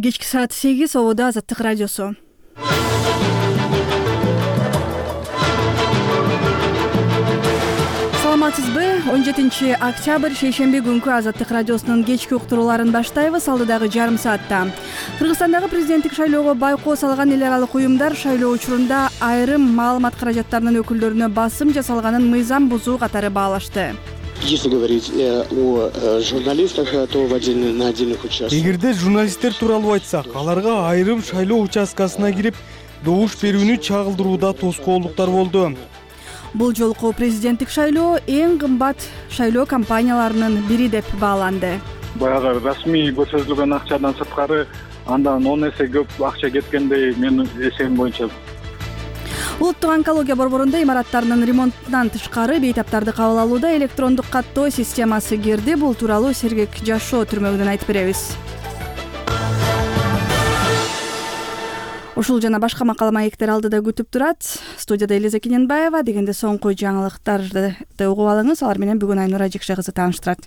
Кечки саат 8 Ободо Азаттык радиосу. Саламатсызбы? 17-октябрь шейшемби күнкү Азаттык радиосунун кечки уктурууларын баштайбыз. Алдыдагы жарым саатта Кыргызстандагы президенттик шайлоого байкоо салган эл аралык уюмдар шайлоо учурунда айрым маалымат каражаттарынын өкүлдөрүнө басым жасалганын мыйзам бузуу катары баалашты. Если говорить о журналистах, то на отдельных участках. Эгерде журналисттер тууралуу айтсак, аларга айрым шайлоо участкасына кирип добуш берүүнү чагылдырууда тоскоолдуктар болду. Бул жолку президенттик шайлоо эң кымбат шайлоо компанияларынын бири деп бааланды. Баягы расмий көрсөтүлгөн акчадан сырткары андан 10 эсе көп акча кеткендей менин эсебим боюнча. Улуттук онкология борборунда имараттарынын ремонтунан тышкары бейтаптарды кабыл алууда электрондук каттоо системасы кирди. Бул тууралуу Сергек Жашоо түрмөгүнөн айтып беребиз. Ушул жана башка макала маектер алдыда күтүп турат. Студияда Элиза Кененбаева. Дегенде соңку жаңылыктарды угуп алыңыз. Алар менен бүгүн Айнура Жекше кызы тааныштырат.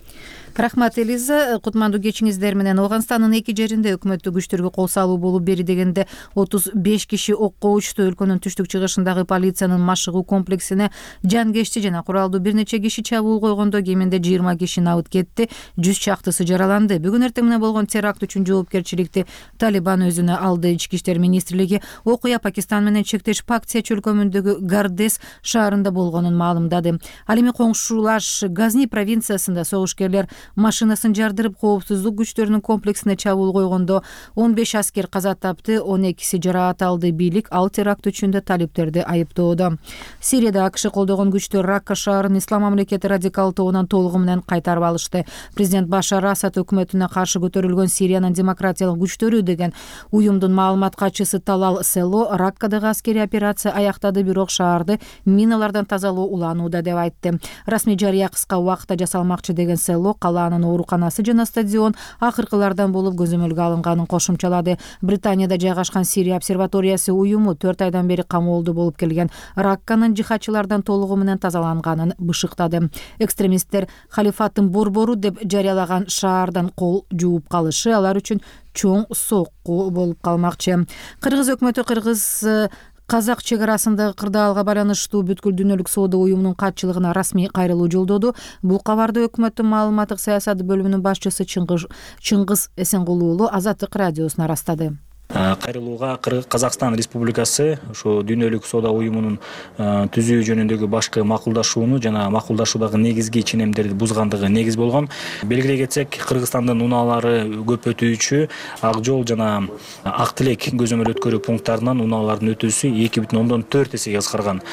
Рахмат, Элиза. Кутмандуу кечиңиздер менен. Ооганстандын эки жеринде өкмөттүк күчтөргө кол салуу болуп бери дегенде 35 киши окко учту. Өлкөнүн түштүк чыгышындагы полициянын машыгуу комплексине жангечти жана куралдуу бир нече киши чабуул койгондо кеминде 20 киши набыт кетти, 100 чактысы жараланды. Бүгүн эртең менен болгон теракт үчүн жоопкерчиликти Талибан өзүнө алды. Ички иштер министрлиги окуя Пакистан менен чектеш Пактия чөлкөмүндөгү Гардес шаарында болгонун маалымдады. Ал эми коңшулаш Газни провинциясында согушкерлер машинасын жардырып коопсуздук күчтөрүнүн комплексине чабуул койгондо 15 аскер каза тапты, 12 жараат алды. Бийлик ал теракт үчүн да талиптерди айыптоодо. Сирияда АКШ колдогон күчтөр Ракка шаарын Ислам мамлекети радикал тобунан толугу менен кайтарып алышты. Президент Башар Асад өкмөтүнө каршы көтөрүлгөн Сириянын демократиялык күчтөрү деген уюмдун маалымат катчысы Талал Село Раккадагы аскерий операция аяктады, бирок шаарды миналардан тазалоо уланууда деп айтты. Расмий жарыя кыска убакытта жасалмакчы деген Село калаанын ооруканасы жана стадион акыркылардан болуп көзөмөлгө алынганын кошумчалады. Британияда жайгашкан Сирия обсерваториясы уюму 4 айдан бери камоолдо болуп келген Ракканын жихадчылардан толугу менен тазаланганын бышыктады. Экстремисттер халифаттын борбору деп жарыялаган шаардан кол жууп калышы алар үчүн чоң сокку болуп калмакчы. Кыргыз өкмөтү Казак чек арасындагы кырдаалга байланыштуу бүткүл дүйнөлүк соода уюмунун катчылыгына расмий кайрылуу жолдоду. Бул кабарды өкмөттүн маалыматтык саясат бөлүмүнүн башчысы Чыңгыз Эсенгулуулу Азаттык радиосуна ырастады. Кайрылууга Казакстан Республикасы ошо дүйнөлүк соода уюмунун түзүү жөнүндөгү башкы макулдашууну жана макулдашуудагы негизги ченемдерди бузгандыгы негиз болгон. Белгилей кетсек, Кыргызстандын унаалары көп өтүүчү Ак жол жана Ак Тилек көзөмөл өткөрүү пункттарынан унаалардын өтүүсү 2,4 эсеге кыскарган.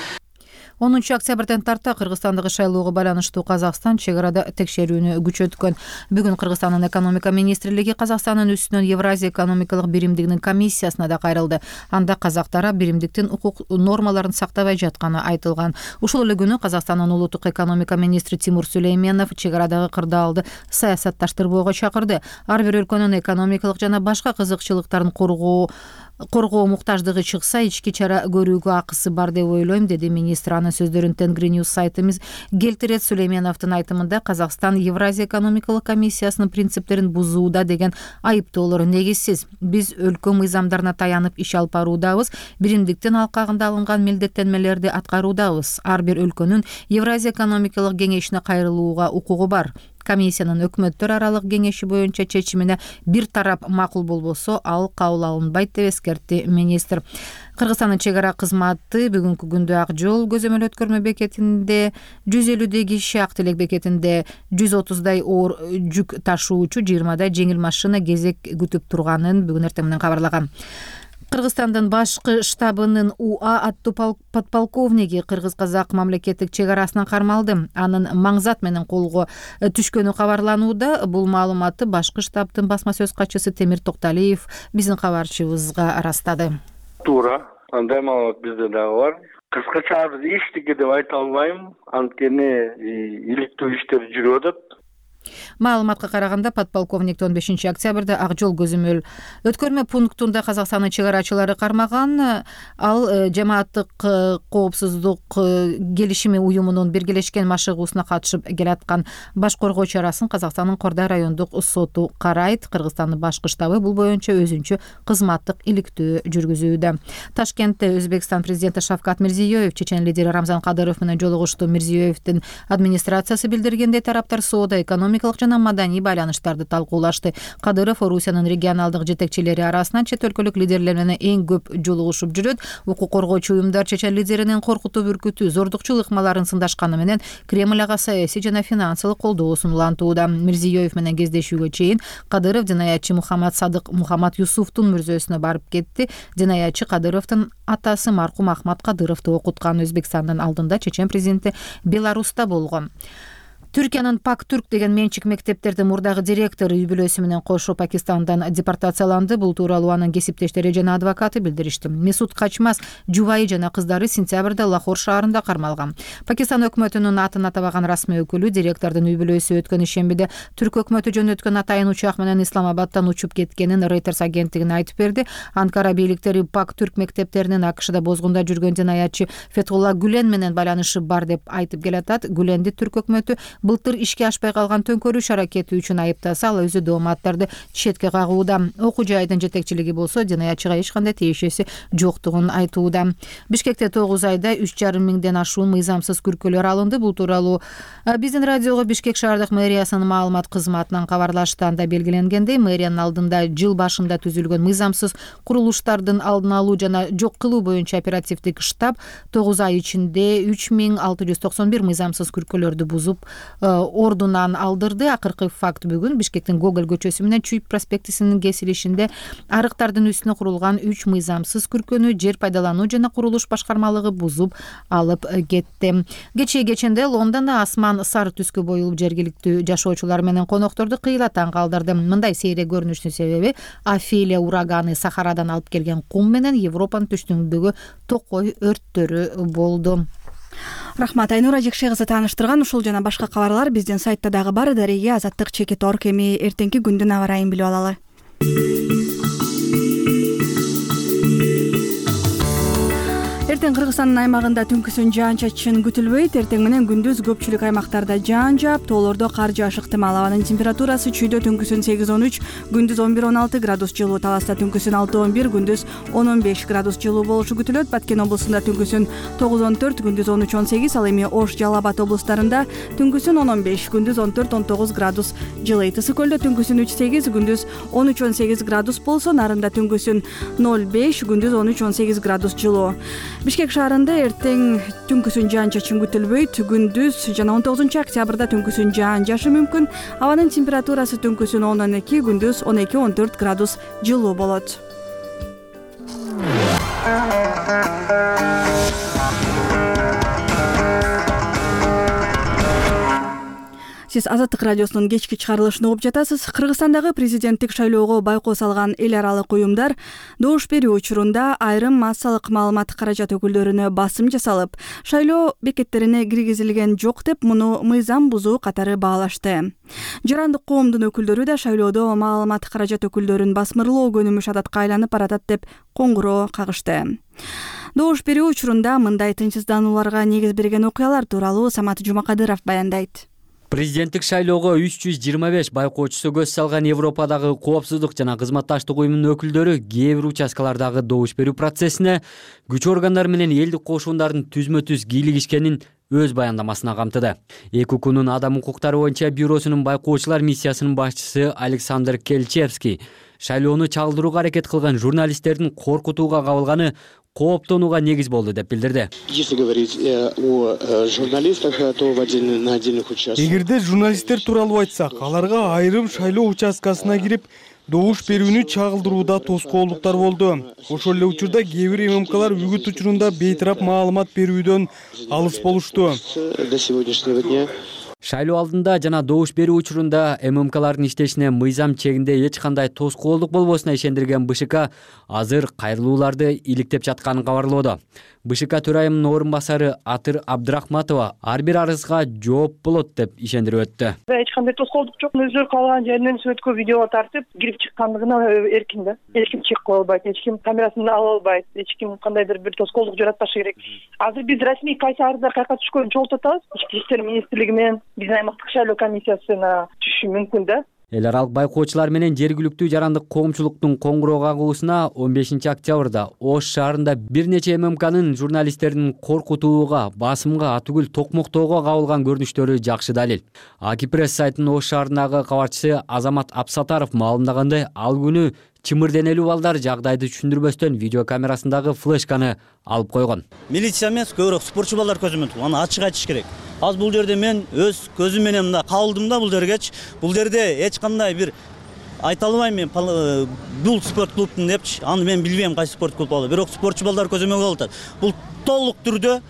10 октябрдан тарта Кыргызстандагы шайлоого байланыштуу Казакстан чек арада текшерүүнү күчөткөн. Бүгүн Кыргызстандын экономика министрлиги Казакстандын үстүнөн Евразия экономикалык биримдигинин комиссиясына да кайрылды. Анда казак тарап биримдиктин укук нормаларын сактабай жатканы айтылган. Ушул эле күнү Казакстандын улуттук экономика министри Тимур Сүлейменов чек арадагы кырдаалды саясатташтырбоого чакырды. Ар бир өлкөнүн экономикалык жана башка кызыкчылыктарын коргоо муктаждыгы чыкса, ички чара көрүүгө акысы бар деп ойлойм, деди министр. Анын сөздөрүн Тенгри Ньюс сайтыбыз келтирет. Сүлейменовдун айтымында Казакстан Евразия экономикалык комиссиясынын принциптерин бузууда деген айыптоолор негизсиз. Биз өлкө мыйзамдарына таянып иш алып баруудабыз, биримдиктин алкагында алынган милдеттенмелерди аткаруудабыз. Ар бир өлкөнүн Евразия экономикалык кеңешине кайрылууга укугу бар. Комиссиянын өкмөттөр аралык кеңеши боюнча чечимине бир тарап макул болбосо, ал кабыл алынбайт деп эскертти министр. Кыргызстандын чек ара кызматы бүгүнкү күндө Ак жол көзөмөл өткөрмө бекетинде 150 киши, Ак Тилек бекетинде 130 оор жүк ташуучу, 20 жеңил машина кезек күтүп турганын бүгүн эртең менен кабарлаган. Кыргызстандын башкы штабынын УА аттуу подполковниги кыргыз-казак мамлекеттик чек арасынан кармалды. Анын маңзат менен колго түшкөнү кабарланууда. Бул маалыматты башкы штабтын басма сөз катчысы Темир Токталиев биздин кабарчыбызга ырастады. Туура, андай маалымат бизде дагы бар. Кыскача биз эчтеке деп айта албайм, анткени иликтөө иштер жүрүп атат. Маалыматка караганда подполковник 15 октябрда Ак жол көзөмөл өткөрмө пунктунда Казакстандын чыгарачылары кармаган. Ал жамааттык коопсуздук келишими уюмунун биргелешкен машыгуусуна катышып келаткан. Баш коргоо чарасын Казакстандын Кордай райондук соту карайт. Кыргызстандын башкы штабы бул боюнча өзүнчө кызматтык иликтөө жүргүзүүдө. Ташкентте Өзбекстан президенти Шавкат Мирзиёев чечен лидери Рамзан Кадыров менен жолугушту. Мирзиёевдин администрациясы билдиргендей, тараптар соода, экономикалык жана маданий байланыштарды талкуулашты. Кадыров Орусиянын регионалдык жетекчилери арасынан чет өлкөлүк лидерлер менен эң көп жолугушуп жүрөт. Укук коргоочу уюмдар чечен лидеринин коркутуп үркүтүү, зордукчул ыкмаларын сындашканы менен Кремль ага саясий жана финансылык колдоо сунулантууда. Мирзиёев менен кездешүүгө чейин Кадыров динаятчы Мухаммад Садык Мухаммад Юсуфтун мүрзөсүнө барып кетти. Динаятчы Кадыровдун атасы маркум Ахмат Кадыровду окуткан. Өзбекстандын алдында чечен президенти Беларуста болгон. Түркиянын Пак-Түрк деген менчик мектептердин мурдагы директору үй бүлөсү менен кошо Пакистандан депортацияланды. Бул тууралуу анын кесиптештери жана адвокаты билдиришти. Месут Качмас жубайы жана кыздары сентябрда Лахор шаарында кармалган. Пакистан өкмөтүнүн атын атабаган расмий өкүлү директордун үй бүлөсү өткөн ишембиде түрк өкмөтү жөнөткөн атайын учак менен Исламабадтан учуп кеткенин Reuters агенттигине айтып берди. Анкара бийликтери Пак-Түрк мектептеринин АКШда бозгунда жүргөн динаятчы Фетхулла Гүлен менен байланышы бар деп айтып келатат. Гүленди түрк өкмөтү былтыр ишке ашпай калган төңкөрүш аракети үчүн айыптаса, ал өзү дооматтарды четке кагууда. Окуу жайдын жетекчилиги болсо динаятчыга эч кандай тиешеси жоктугун айтууда. Бишкекте 9 айда 3,5 миңден ашуун мыйзамсыз күркөлөр алынды. Бул тууралуу биздин радиого Бишкек шаардык мэриясынын маалымат кызматынан кабарлашты. Анда белгиленгендей, мэриянын алдында жыл башында түзүлгөн мыйзамсыз курулуштардын алдын алуу жана жок кылуу боюнча оперативдик штаб 9 ай ичинде 3691 мыйзамсыз күркөлөрдү бузуп ордунан алдырды. Акыркы факт бүгүн Бишкектин Гоголь көчөсү менен Чуйп проспектисинин кесилишинде арыктардын үстүнө курулган 3 мыйзамсыз күркөнү жер пайдалануу жана курулуш башкармалыгы бузуп алып кетти. Кеченде Лондондо асман сары түскө боюлуп жергиликтүү жашоочулар менен конокторду кыйлатан калдырды. Мындай сейрек көрүнүштүн себеби Афилия ураганы Сахарадан алып келген кум менен Европанын түштүгүндөгү токой өрттөрү болду. Рахмат, Айнура Жекше кызы тааныштырган ушул жана башка кабарлар биздин сайтта дагы бар. Дареге Азаттык.org. Эми эртеңки күндүн аба ырайын билип алалы. Эртең Кыргызстандын аймагында түнкүсүн жаан-чачын күтүлбөйт. Эртең менен күндүз көпчүлүк аймактарда жаан жаап, тоолордо кар жаашы ыктымал. Абанын температурасы чүйдө түнкүсүн 8-13, күндүз 11-16 градус жылуу, Таласта түнкүсүн 6-11, күндүз 10-15 градус жылуу болушу күтүлөт. Баткен облусунда түнкүсүн 9-14, күндүз 13-18, ал эми Ош, Жалал Абад облустарында түнкүсүн 10-15, күндүз 14-19 градус жылыйт. Ысык көлдө түнкүсүн 3-8, күндүз 13-18 градус болсо, Нарында түнкүсүн 0-5, күндүз 13-18 градус жылуу. Бишкек шаарында эртең түнкүсүн жаан-чачын күтүлбөйт. Күндүз жана 19 октябрда түнкүсүн жаан жаашы мүмкүн. Абанын температурасы түнкүсүн 10-12, күндүз 12-14 градус жылуу болот. Сиз Азаттык радиосунун кечки чыгарылышын угуп жатасыз. Кыргызстандагы президенттик шайлоого байкоо салган эл аралык уюмдар добуш берүү учурунда айрым массалык маалымат каражат өкүлдөрүнө басым жасалып, шайлоо бекеттерине киргизилген жок деп муну мыйзам бузуу катары баалашты. Жарандык коомдун өкүлдөрү да шайлоодо маалымат каражат өкүлдөрүн басмырлоо көнүмүш адатка айланып баратат деп коңгуроо кагышты. Добуш берүү учурунда мындай тынчсызданууларга негиз берген окуялар тууралуу Самат Жумакадыров баяндайт. Президенттик шайлоого 325 байкоочусу көз салган Европадагы коопсуздук жана кызматташтык уюмунун өкүлдөрү кээ бир участкалардагы добуш берүү процессине күч органдары менен элдик кошундардын түзмө-түз кийлигишкенин өз баяндамасына камтыды. ЭКУКунун адам укуктары боюнча бюросунун байкоочулар миссиясынын башчысы Александр Келчевский шайлоону чагылдырууга аракет кылган журналисттердин коркутууга кабылганы кооптонууга негиз болду деп билдирди. Если говорить о журналистах, то на отдельных участках. Эгерде журналисттер тууралуу айтсак, аларга айрым шайлоо участкасына кирип добуш берүүнү чагылдырууда тоскоолдуктар болду. Ошол эле учурда кээ бир ММКлар үгүт учурунда бейтарап маалымат берүүдөн алыс болушту. До сегодняшнего дня Шайлоо алдында жана добуш берүү учурунда ММКлардын иштешине мыйзам чегинде эч кандай тоскоолдук болбосуна ишендирген БШК азыр кайрылууларды иликтеп жатканын кабарлоодо. БШК төрайымынын орун басары Атыр Абдрахматова ар бир арызга жооп болот деп ишендирип өттү. Эч кандай тоскоолдук жок. Өздөрү калган жеринен сүрөткө видеого тартып, кирип чыккандыгына эркин да. Эч ким чыгып кала албайт, эч ким камерасын ала албайт, эч ким кандайдыр бир тоскоолдук жаратпашы керек. Азыр биз расмий кайсы арыздар каяка түшкөнүн чогултуп атабыз. Ички иштер министрлиги менен биздин аймактык шайлоо комиссиясына түшүшү мүмкүн да. Эл аралык байкоочулар менен жергиликтүү жарандык коомчулуктун коңгуроо кагуусуна 15 октябрда Ош шаарында бир нече ММКнын журналисттерин коркутууга, басымга, атүгүл токмоктоого кабылган көрүнүштөрү жакшы далил. Акипресс сайтынын Ош шаарындагы кабарчысы Азамат Апсатаров маалымдагандай, ал күнү чымыр денелүү балдар жагдайды түшүндүрбөстөн видео камерасындагы флешканы алып койгон. Милиция эмес, көбүрөөк спортчу балдар көзөмөн туруп, аны ачык айтыш керек. Азыр бул жерде мен өз көзүм менен мында кабылдым да бул жергечи. Бул жерде эч кандай бир айта албайм мен бул спорт клубтун депчи. Аны мен билбейм кайсы спорт клуб болду. Бирок спортчу балдар көзөмөлгө алып атат. Бул толук түрдө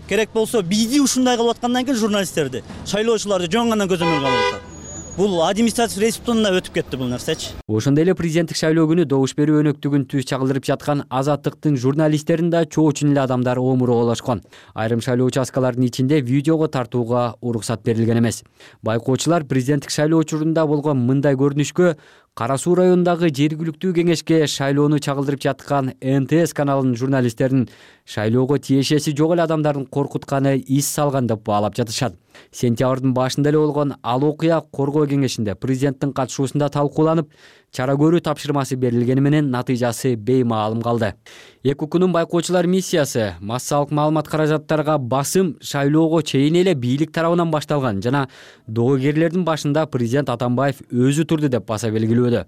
керек болсо бийди ушундай кылып аткандан кийин журналисттерди, шайлоочуларды жоңгонан көзөмөлгө алып атат. Бул административ республикада өтүп кетти бул нерсечи. Ошондой эле президенттик шайлоо күнү добуш берүү өнөктүгүн түз чагылдырып жаткан Азаттыктын журналисттерин да чоочун эле адамдар омуроолошкон. Айрым шайлоо участкаларынын ичинде видеого тартууга уруксат берилген эмес. Байкоочулар президенттик шайлоо учурунда болгон мындай көрүнүшкө Кара Суу районундагы жергиликтүү кеңешке шайлоону чагылдырып жаткан НТС каналынын журналисттерин шайлоого тиешеси жок эле адамдардын коркутканы из салган деп баалап жатышат. Сентябрдын башында эле болгон ал окуя коргоо кеңешинде президенттин катышуусунда талкууланып, чара көрүү тапшырмасы берилгени менен натыйжасы беймаалым калды. ЭКУКнун байкоочулар миссиясы массалык маалымат каражаттарга басым шайлоого чейин эле бийлик тарабынан башталган жана доогерлердин башында президент Атамбаев өзү турду деп баса белгилөөдө.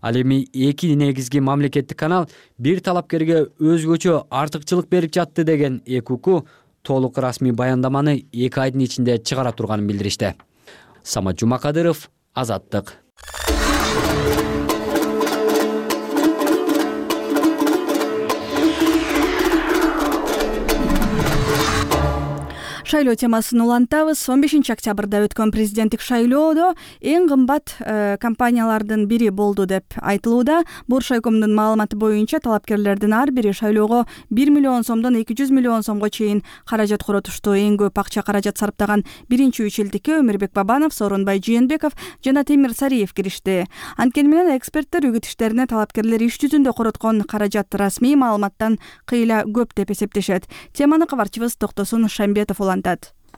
Ал эми 2 негизги мамлекеттик канал бир талапкерге өзгөчө артыкчылык берип жатты деген ЭКУК толук расмий баяндаманы 2 айдын ичинде чыгара турганын билдиришти. Самат Жумакадыров, Азаттык. Шайлоо темасын улантабыз. 15 октябрда өткөн президенттик шайлоодо эң кымбат компаниялардын бири болду деп айтылууда. Боршайкомдун маалыматы боюнча талапкерлердин ар бири шайлоого 1 миллион сомдон 200 миллион сомго чейин каражат коротушту. Эң көп акча каражат сарптаган биринчи 3 элдикке Өмүрбек Бабанов, Сооронбай Жээнбеков жана Темир Сариев киришти. Анткени менен эксперттер үгүт иштерине талапкерлер иш жүзүндө короткон каражат расмий маалыматтан кыйла көп деп эсептешет. Теманы кабарчыбыз Токтосун Шамбетов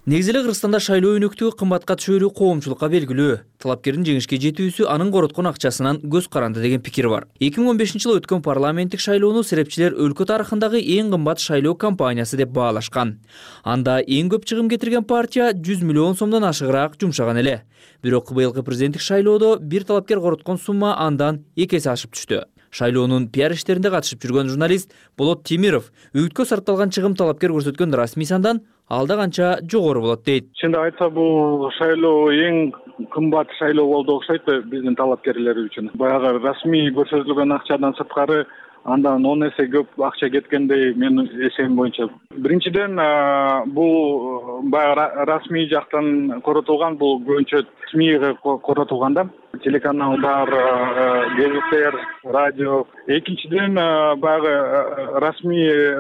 Негизи эле Кыргызстанда шайлоо өнөктүгү кымбатка түшөрү коомчулукка белгилүү. Талапкердин жеңишке жетүүсү анын короткон акчасынан көз каранды деген пикир бар. 2015-жылы өткөн парламенттик шайлоону серепчилер өлкө тарыхындагы эң кымбат шайлоо кампаниясы деп баалашкан. Анда эң көп чыгым кетирген партия 100 миллион сомдон ашыгыраак жумшаган эле. Бирок быйылкы президенттик шайлоодо бир талапкер короткон сумма андан 2 эсе ашып түштү. Шайлоонун пиар иштеринде катышып жүргөн журналист Болот Темиров үгүткө сарпталган чыгым талапкер көрсөткөн расмий сандан алда канча жогору болот дейт. Чынды айтса бул шайлоо эң кымбат шайлоо болду окшойт биздин талапкерлер үчүн. Баягы расмий көрсөтүлгөн акчадан сырткары андан 10 эсе көп акча кеткендей менин эсебим боюнча. Биринчиден бул баягы расмий жактан коротулган, бул көбүнчө СМИге коротулган да. Телеканалдар, гезиттер, радио. Экинчиден баягы расмий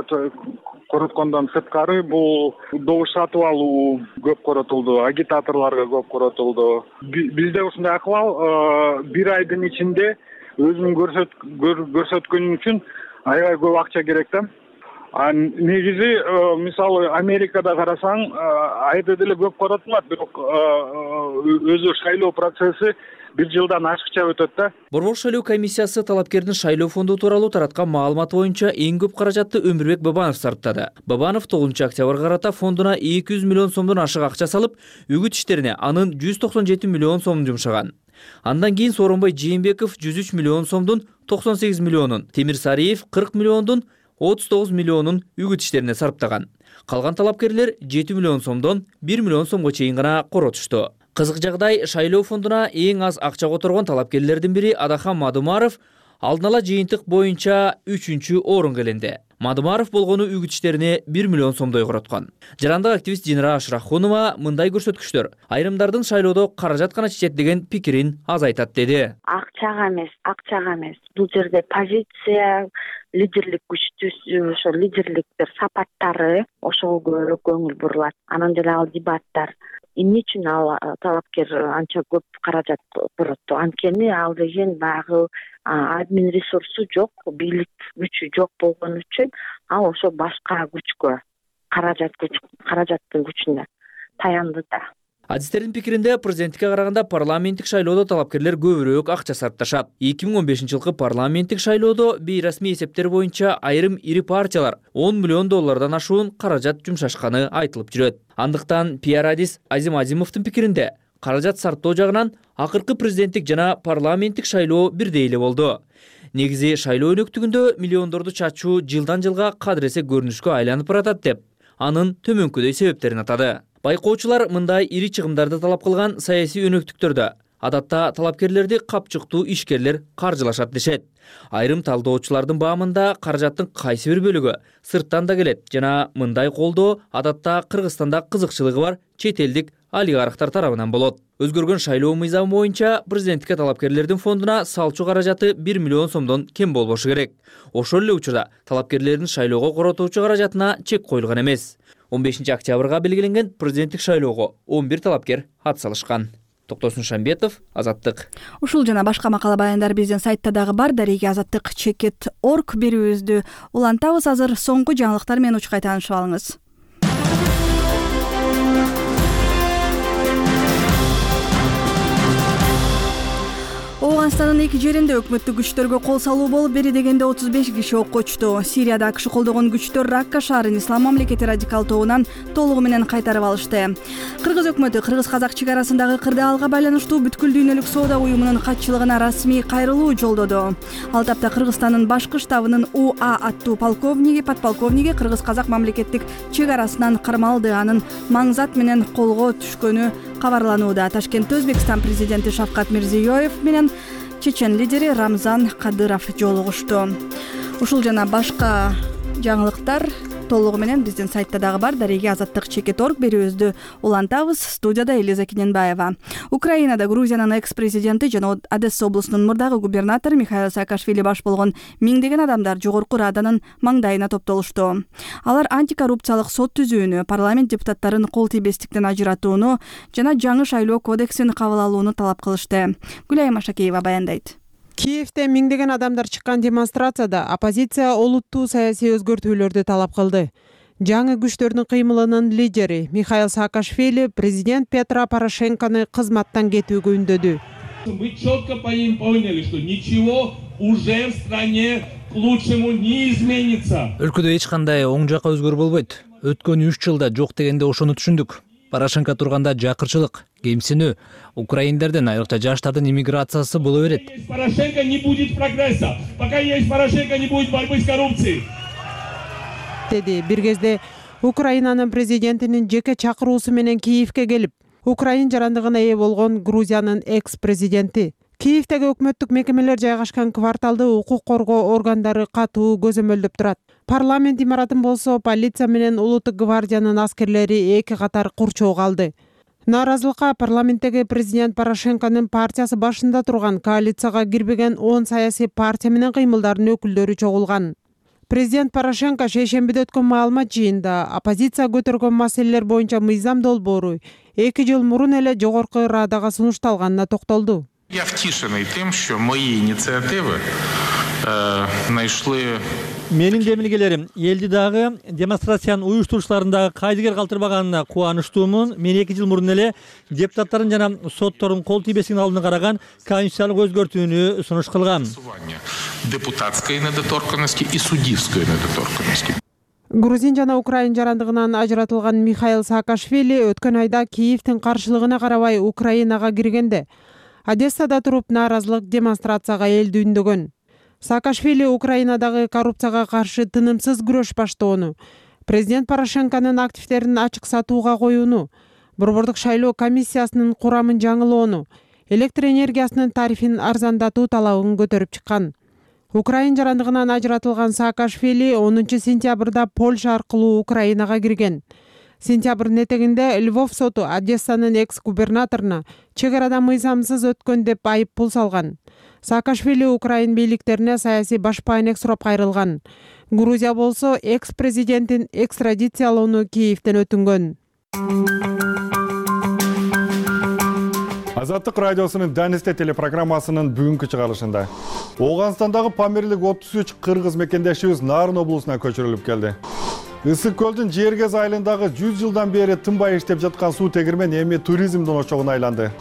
короткондон сырткары бул добуш сатып алуу көп коротулду, агитаторлорго көп коротулду. Бизде ушундай акыбал бир айдын ичинде өзүн көрсөткөн үчүн аябай көп акча керек да. Негизи мисалы Америкада карасаң айда деле көп коротулат, бирок өзү шайлоо процесси 1 жылдан ашыкча өтөт да. Борбор шайлоо комиссиясы талапкердин шайлоо фонду тууралуу тараткан маалымат боюнча эң көп каражатты Өмүрбек Бабанов сарптады. Бабанов 9 октябрга карата фондуна 200 миллион сомдон ашык акча салып, үгүт иштерине анын 197 миллион сомун жумшаган. Андан кийин Сооронбай Жээнбеков 103 миллион сомдун 98 миллионун, Темир Сариев 40 миллиондун 39 миллионун үгүт иштерине сарптаган. Калган талапкерлер 7 миллион сомдон 1 миллион сомго чейин гана коротушту. Кызык жагдай, шайлоо фондуна эң аз акча которгон талапкерлердин бири Адахан Мадумаров алдын ала жыйынтык боюнча 3-орунга иленди. Мадымаров болгону үгүт иштерине 1 миллион сомдой короткон. Жарандык активист Динара Ашрахунова мындай көрсөткүчтөр айрымдардын шайлоодо каражат гана чечет деген пикирин азайтат деди. Акчага эмес. Бул жерде позиция, лидерлик күчтүү, ошо лидерликтер сапаттары ошого көбүрөөк көңүл бурулат. Анан деле ал дебаттар эмне үчүн ал талапкер анча көп каражат бурат? Анткени ал деген баягы админ ресурсу жок, бийлик күчү жок болгон үчүн ал ошо башка күчкө, каражаттын күчүнө таянды да. Адистердин пикиринде президенттикке караганда парламенттик шайлоодо талапкерлер көбүрөөк акча сарпташат. 2015-жылкы парламенттик шайлоодо бейрасмий эсептер боюнча айрым ири партиялар 10 миллион доллардан ашуун каражат жумшашканы айтылып жүрөт. Андыктан пиар-адис Азим Азимовдун пикиринде каражат сарптоо жагынан акыркы президенттик жана парламенттик шайлоо бирдей эле болду. Негизи шайлоо өнөктүгүндө миллиондорду чачуу жылдан жылга кадыресе көрүнүшкө айланып баратат деп, анын төмөнкүдөй себептерин атады. Байкоочулар мындай ири чыгымдарды талап кылган саясий өнөктүктөрдө адатта талапкерлерди капчыктуу ишкерлер каржылашат дешет. Айрым талдоочулардын баамында каражаттын кайсы бир бөлүгү сырттан да келет жана мындай колдоо адатта Кыргызстанда кызыкчылыгы бар чет элдик олигархтар тарабынан болот. Өзгөргөн шайлоо мыйзамы боюнча президенттикке талапкерлердин фондуна салчу каражаты 1 миллион сомдон кем болбошу керек. Ошол эле учурда талапкерлердин шайлоого коротуучу каражатына чек коюлган эмес. 15 октябрга белгиленген президенттик шайлоого 11 талапкер ат салышкан. Токтосун Шамбетов, Азаттык. Ушул жана башка макала баяндар биздин сайтта дагы бар. Дареге Азаттык.org берүүбүздү улантабыз. Азыр соңку жаңылыктар менен учкай таанышып алыңыз. Афганстандын эки жеринде өкмөттүк күчтөргө кол салуу болуп, бери дегенде 35 киши окко учту. Сирияда АКШ колдогон күчтөр Ракка шаарын Ислам мамлекети радикал тобунан толугу менен кайтарып алышты. Кыргыз өкмөтү кыргыз-казак чек арасындагы кырдаалга байланыштуу бүткүл дүйнөлүк соода уюмунун катчылыгына расмий кайрылуу жолдоду. Ал тапта Кыргызстандын башкы штабынын УА аттуу подполковниги кыргыз-казак мамлекеттик чек арасынан кармалды. Анын маңзат менен колго түшкөнү кабарланууда. Ташкентте Өзбекстан президенти Шавкат Мирзиёев менен чечен лидери Рамзан Кадыров жолугушту. Ушул жана башка жаңылыктар толугу менен биздин сайтта дагы бар. Дареге Азаттык.org берүүбүздү улантабыз. Студияда Элиза Кененбаева. Украинада Грузиянын экс-президенти жана Одесса облусунун мурдагы губернатору Михаил Саакашвили баш болгон миңдеген адамдар жогорку Раданын маңдайына топтолушту. Алар антикоррупциялык сот түзүүнү, парламент депутаттарын кол тийбестиктен ажыратууну жана жаңы шайлоо кодексин кабыл алууну талап кылышты. Гүлайым Ашакеева баяндайт. Киевде миңдеген адамдар чыккан демонстрацияда оппозиция олуттуу саясий өзгөртүүлөрдү талап кылды. Жаңы күчтөрдүн кыймылынын лидери Михаил Саакашвили президент Петро Порошенкону кызматтан кетүүгө үндөдү. Мы четко поняли, что ничего уже в стране к лучшему не изменится. Өлкөдө эч кандай оң жакка өзгөрүү болбойт. Өткөн 3 жылда жок дегенде ошону түшүндүк. Порошенко турганда жакырчылык, кемсинүү, украиндердин, айрыкча жаштардын иммиграциясы боло берет. Порошенко не будет прогресса, пока есть Порошенко не будет борьбы с коррупцией. Деди бир кезде Украинанын президентинин жеке чакыруусу менен Киевке келип, Украин жарандыгына ээ болгон Грузиянын экс-президенти. Киевдеги өкмөттүк мекемелер жайгашкан кварталды укук коргоо органдары катуу көзөмөлдөп турат. Парламент имаратын болсо полиция менен улуттук гвардиянын аскерлери эки катар курчоого алды. Нааразылыкка парламенттеги президент Порошенконун партиясы башында турган коалицияга кирбеген 10 саясий партия менен кыймылдардын өкүлдөрү чогулган. Президент Порошенко шейшембиде өткөн маалымат жыйында оппозиция көтөргөн маселелер боюнча мыйзам долбоору 2 жыл мурун эле жогорку Радага сунушталганына токтолду. Я втішений тим, що мої ініціативи знайшли... Менин демилгелерим элди дагы демонстрациянын уюштуруучуларын дагы кайдыгер калтырбаганына кубанычтуумун. Мен 2 жыл мурун эле депутаттардын жана соттордун кол тийбестигин алдына караган конституциялык өзгөртүүнү сунуш кылгам. Депутатской недоторканности и суддивской недоторканности. Грузин жана Украин жарандыгынан ажыратылган Михаил Саакашвили өткөн айда Киевдин каршылыгына карабай Украинага киргенде Одессада туруп нааразылык демонстрацияга элди үндөгөн. Саакашвили Украинадагы коррупцияга каршы тынымсыз күрөш баштоону, президент Порошенконун активдерин ачык сатууга коюуну, борбордук шайлоо комиссиясынын курамын жаңылоону, электр энергиясынын тарифин арзандатуу талабын көтөрүп чыккан. Украин жарандыгынан ажыратылган Саакашвили 10 сентябрда Польша аркылуу Украинага кирген. Сентябрдын этегинде Львов соту Одессанын экс-губернаторуна чек арада мыйзамсыз өткөн деп айып пул салган. Саакашвили Украин бийликтерине саясий башпаанек сурап кайрылган. Грузия болсо экс-президенттин экстрадициялоону Киевден өтүнгөн. Азаттык радиосунун Данисте телепрограммасынын бүгүнкү чыгарылышында Ооганстандагы Памирлик 33 кыргыз мекендешибиз Нарын облусуна көчүрүлүп келди. Ысык көлдүн Жергез айылындагы 100 жылдан бери тынбай иштеп жаткан суу тегирмени эми туризмдин ошогуна айланды.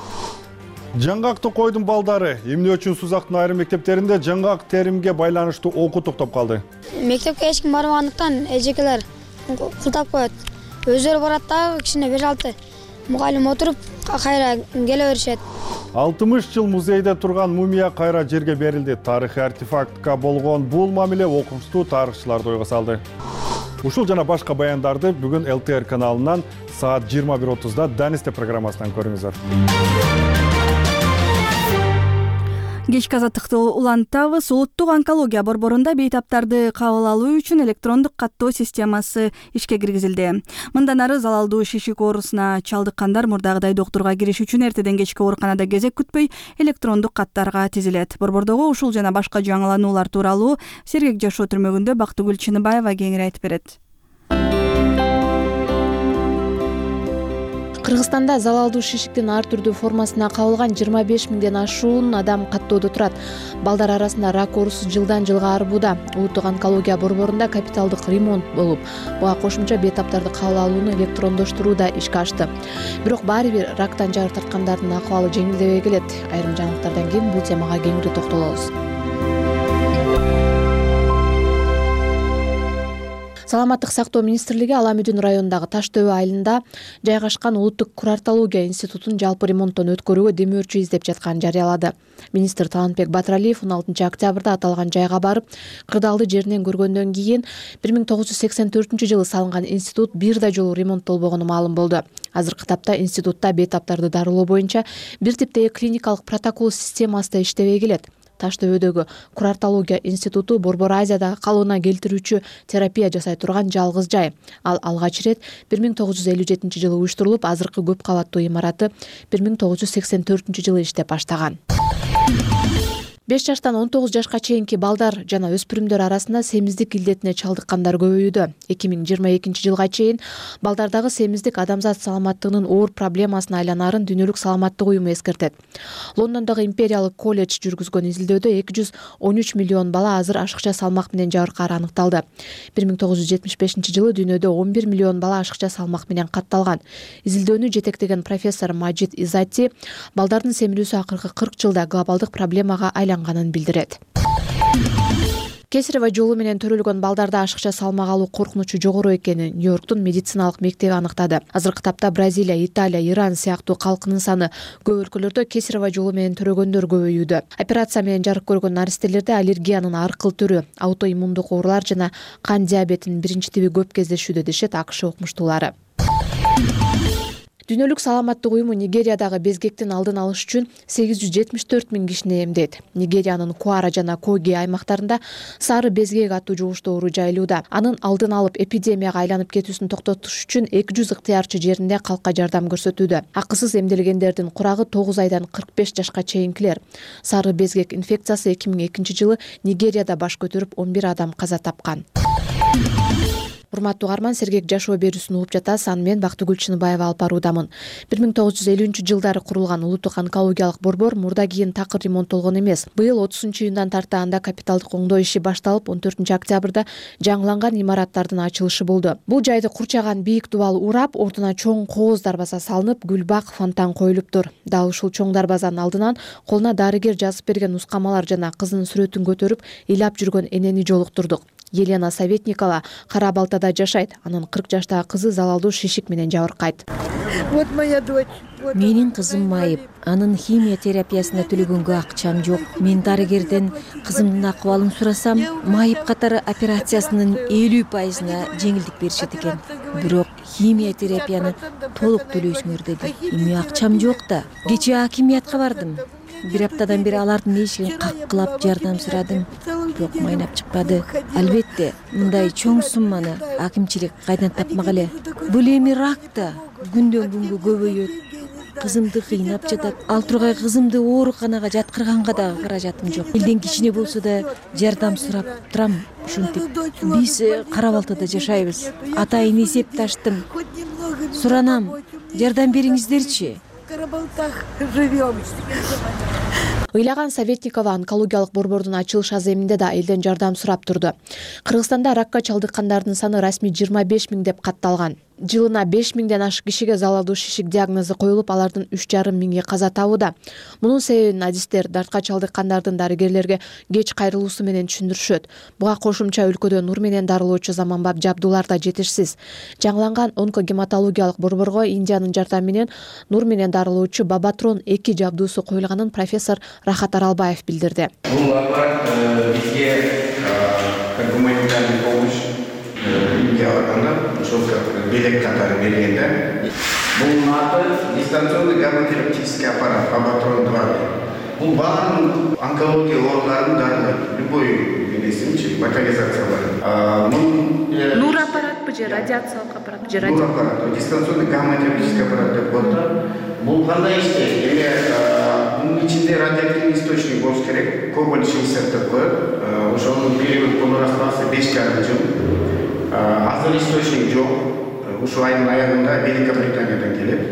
Жаңгакты койдун балдары эмне үчүн Сузактын айрым мектептеринде жаңгак теримге байланыштуу окуу токтоп калды. Мектепке эч ким барбагандыктан эжекелер култап коет. Өздөрү барат дагы кичине 5-6 мугалим отуруп кайра келе беришет. 60 жыл музейде турган мумия кайра жерге берилди. Тарыхый артефактка болгон бул мамиле окумуштуу тарыхчыларды ойго салды. Ушул жана башка баяндарды бүгүн ЛТР каналынан саат 21:30-да Данисте программасынан көрүңүздөр. Кечки азаттыкты улантабыз. Улуттук онкология борборунда бейтаптарды кабыл алуу үчүн электрондук каттоо системасы ишке киргизилди. Мындан ары залалдуу шишик оорусуна чалдыккандар мурдагыдай доктурга кириш үчүн эртеден кечке ооруканада кезек күтпөй электрондук каттарга тизилет. Борбордогу ушул жана башка жаңылануулар тууралуу Сергек жашоо түрмөгүндө Бактыгүл Чыныбаева кеңири айтып берет. Кыргызстанда залалдуу шишиктин ар түрдүү формасына кабылган 25 миңден ашуун адам каттоодо турат. Балдар арасында рак оорусу жылдан жылга арбууда. Улуттук онкология борборунда капиталдык ремонт болуп, буга кошумча бейтаптарды кабыл алууну электрондоштуруу да ишке ашты. Бирок баары бир рактан жары тарткандардын акыбалы жеңилдебей келет. Айрым жаңылыктардан кийин бул темага кеңири токтолобуз. Саламаттык сактоо министрлиги Ала Мүдүн районундагы Таш Төбө айылында жайгашкан Улуттук курортология институтун жалпы ремонттон өткөрүүгө демөөрчү издеп жатканын жарыялады. Министр Талантбек Батыралиев 16 октябрда аталган жайга барып, кырдаалды жеринен көргөндөн кийин 1984-жылы салынган институт бир да жолу ремонттолбогону маалым болду. Азыркы тапта институтта бейтаптарды дарылоо боюнча бир типтеги клиникалык протокол системасы иштебей келет. Таш Төбөдөгү курортология институту Борбор Азиядагы калыбына келтирүүчү терапия жасай турган жалгыз жай. Ал алгач ирет 1957-жылы уюштурулуп, азыркы көп кабаттуу имараты 1984-жылы иштеп баштаган. 5 жаштан 19 жашка чейинки балдар жана өспүрүмдөр арасында семиздик илдетине чалдыккандар көбөйүүдө. 2022-жылга чейин балдардагы семиздик адамзат саламаттыгынын оор проблемасына айланарын Дүйнөлүк саламаттык уюму эскертет. Лондондогу Империялык колледж жүргүзгөн изилдөөдө 213 миллион бала азыр ашыкча салмак менен жабыркаары аныкталды. 1975-жылы дүйнөдө 11 миллион бала ашыкча салмак менен катталган. Изилдөөнү жетектеген профессор Маджид Изати балдардын семирүүсү акыркы 40 жылда глобалдык проблемага айланганын билдирет. Кесарево жолу менен төрөлгөн балдарда ашыкча салмак алуу коркунучу жогору экенин Нью-Йорктун медициналык мектеби аныктады. Азыркы тапта Бразилия, Италия, Иран сыяктуу калкынын саны көп өлкөлөрдө кесарево жолу менен төрөгөндөр көбөйүүдө. Операция менен жарык көргөн наристелерде аллергиянын ар кыл түрү, аутоиммундук оорулар жана кан диабетинин биринчи тиби көп кездешүүдө, дешет АКШ окумуштуулары. Дүйнөлүк саламаттык уюму Нигериядагы безгектин алдын алыш үчүн 874 миң кишини эмдейт. Нигериянын Куара жана Коги аймактарында сары безгек аттуу жугуштуу оору жайылууда. Анын алдын алып эпидемияга айланып кетүүсүн токтотуш үчүн 200 ыктыярчы жеринде калкка жардам көрсөтүүдө. Акысыз эмделгендердин курагы 9 айдан 45 жашка чейинкилер. Сары безгек инфекциясы 2002-жылы Нигерияда баш көтөрүп 11 адам каза тапкан. Урматтуу угарман, Сергек жашоо берүүсүн угуп жатасыз. Аны мен Бактыгүл Чыныбаева алып баруудамын. 1950-жылдары курулган Улуттук онкологиялык борбор мурда кийин такыр ремонттолгон эмес. Быйыл 30-июндан тарта анда капиталдык оңдоо иши башталып, 14 октябрда жаңыланган имараттардын ачылышы болду. Бул жайды курчаган бийик дубал урап, ордуна чоң кооз дарбаза салынып, гүлбак, фонтан коюлуптур. Дал ушул чоң дарбазанын алдынан колуна дарыгер жазып берген нускамалар жана кызынын сүрөтүн көтөрүп, ыйлап жүргөн энени жолуктурдук. Елена Советникова Кара Балтада жашайт. Анын 40 жаштагы кызы залалдуу шишик менен жабыркайт. Вот моя дочь. Менин кызым майып. Анын химия терапиясына төлөгөнгө акчам жок. Мен дарыгерден кызымдын акыбалын сурасам, майып катары операциясынын 50%-на жеңилдик беришет экен. Бирок химия терапияны толук төлөйсүңөр деди. Эми акчам жок да. Кечээ акимиятка бардым. Бир аптадан бери алардын эшигин каккылап жардам сурадым. бирок майнап чыкпады. Албетте мындай чоң сумманы акимчилик кайдан тапмак эле. Бул эми рак да күндөн күнгө көбөйөт. Кызымды кыйнап жатат. Ал тургай кызымды ооруканага жаткырганга дагы каражатым жок. Элден кичине болсо да жардам сурап турам. Ушинтип биз Кара Балтада жашайбыз. Атайын эсепташтым. Суранам, жардам бериңиздерчи. Ыйлаган Советникова онкологиялык борбордун ачылыш аземинде да элден жардам сурап турду. Кыргызстанда ракка чалдыккандардын саны расмий 25 000 деп катталган. Жылына 5 000ден ашык кишиге залалдуу шишик диагнозу коюлуп, алардын 3,5 миңи каза табууда. Мунун себебин адистер дартка чалдыккандардын дарыгерлерге кеч кайрылуусу менен түшүндүрүшөт. Буга кошумча өлкөдө нур менен дарылоочу заманбап жабдуулар да жетишсиз. Жаңыланган онкогематологиялык борборго Индиянын жардамы менен нур менен дарылоочу Бабатрон 2 жабдуусу коюлганын профессор Рахат Аралбаев билдирди. Бул аппарат бизге как гуманитарный помощь ошол белек катары бергенде. Бул аты дистанционный гамма-терапевтический аппарат Бабатрон 2. Бул баардык онкология ооруларын дарылайт. Любой билесимчи локализациялар. Нур аппаратпы же радиациялык аппарат же Нур аппарат, дистанционный гамма-терапевтический аппарат деп коет. Бул кандай иштейт? Бунун ичинде радиоактивный источник болуш керек. Кобальт 60 деп коет. Ошонун период колураспасы 5,5 жыл. Азыр источник жок. Ушул айдын аягында Великобританиядан келет.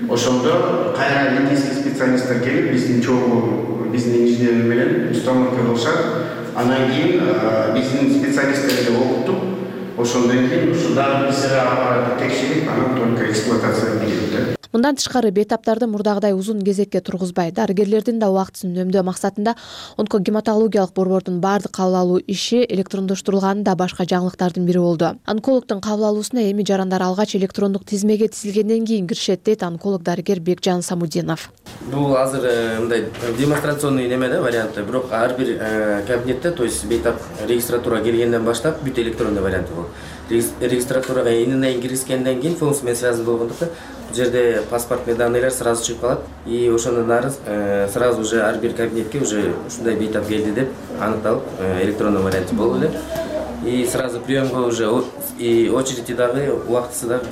Ошондо кайра индийский специалисттер келип, биздин инженерлер менен установка кылышат. Анан кийин биздин специалисттерди окутуп, ошондон кийин ушул дагы ПЦР аппараты текшерип, анан только эксплуатацияга кирет. Мындан тышкары бейтаптарды мурдагыдай узун кезекке тургузбай, дарыгерлердин да убактысын үнөмдөө максатында онкогематологиялык борбордун баардык кабыл алуу иши электрондоштурулганы да башка жаңылыктардын бири болду. Онкологдун кабыл алуусуна эми жарандар алгач электрондук тизмеге тизилгенден кийин киришет, дейт онколог дарыгер Бекжан Самудинов. Бул азыр мындай демонстрационный неме да варианты, бирок ар бир кабинетте, то есть бейтап регистратура келгенден баштап бүт электрондуу варианты болот. Регистратурага ининен киришкенден кийин функция менен связан болгондуктан бул жерде паспортный данныйлар сразу чыгып калат, и ошондон ары сразу уже ар бир кабинетке уже ушундай бейтап келди деп аныкталып электрондуу варианты болду эле. И сразу приемга уже и очереди дагы убактысы дагы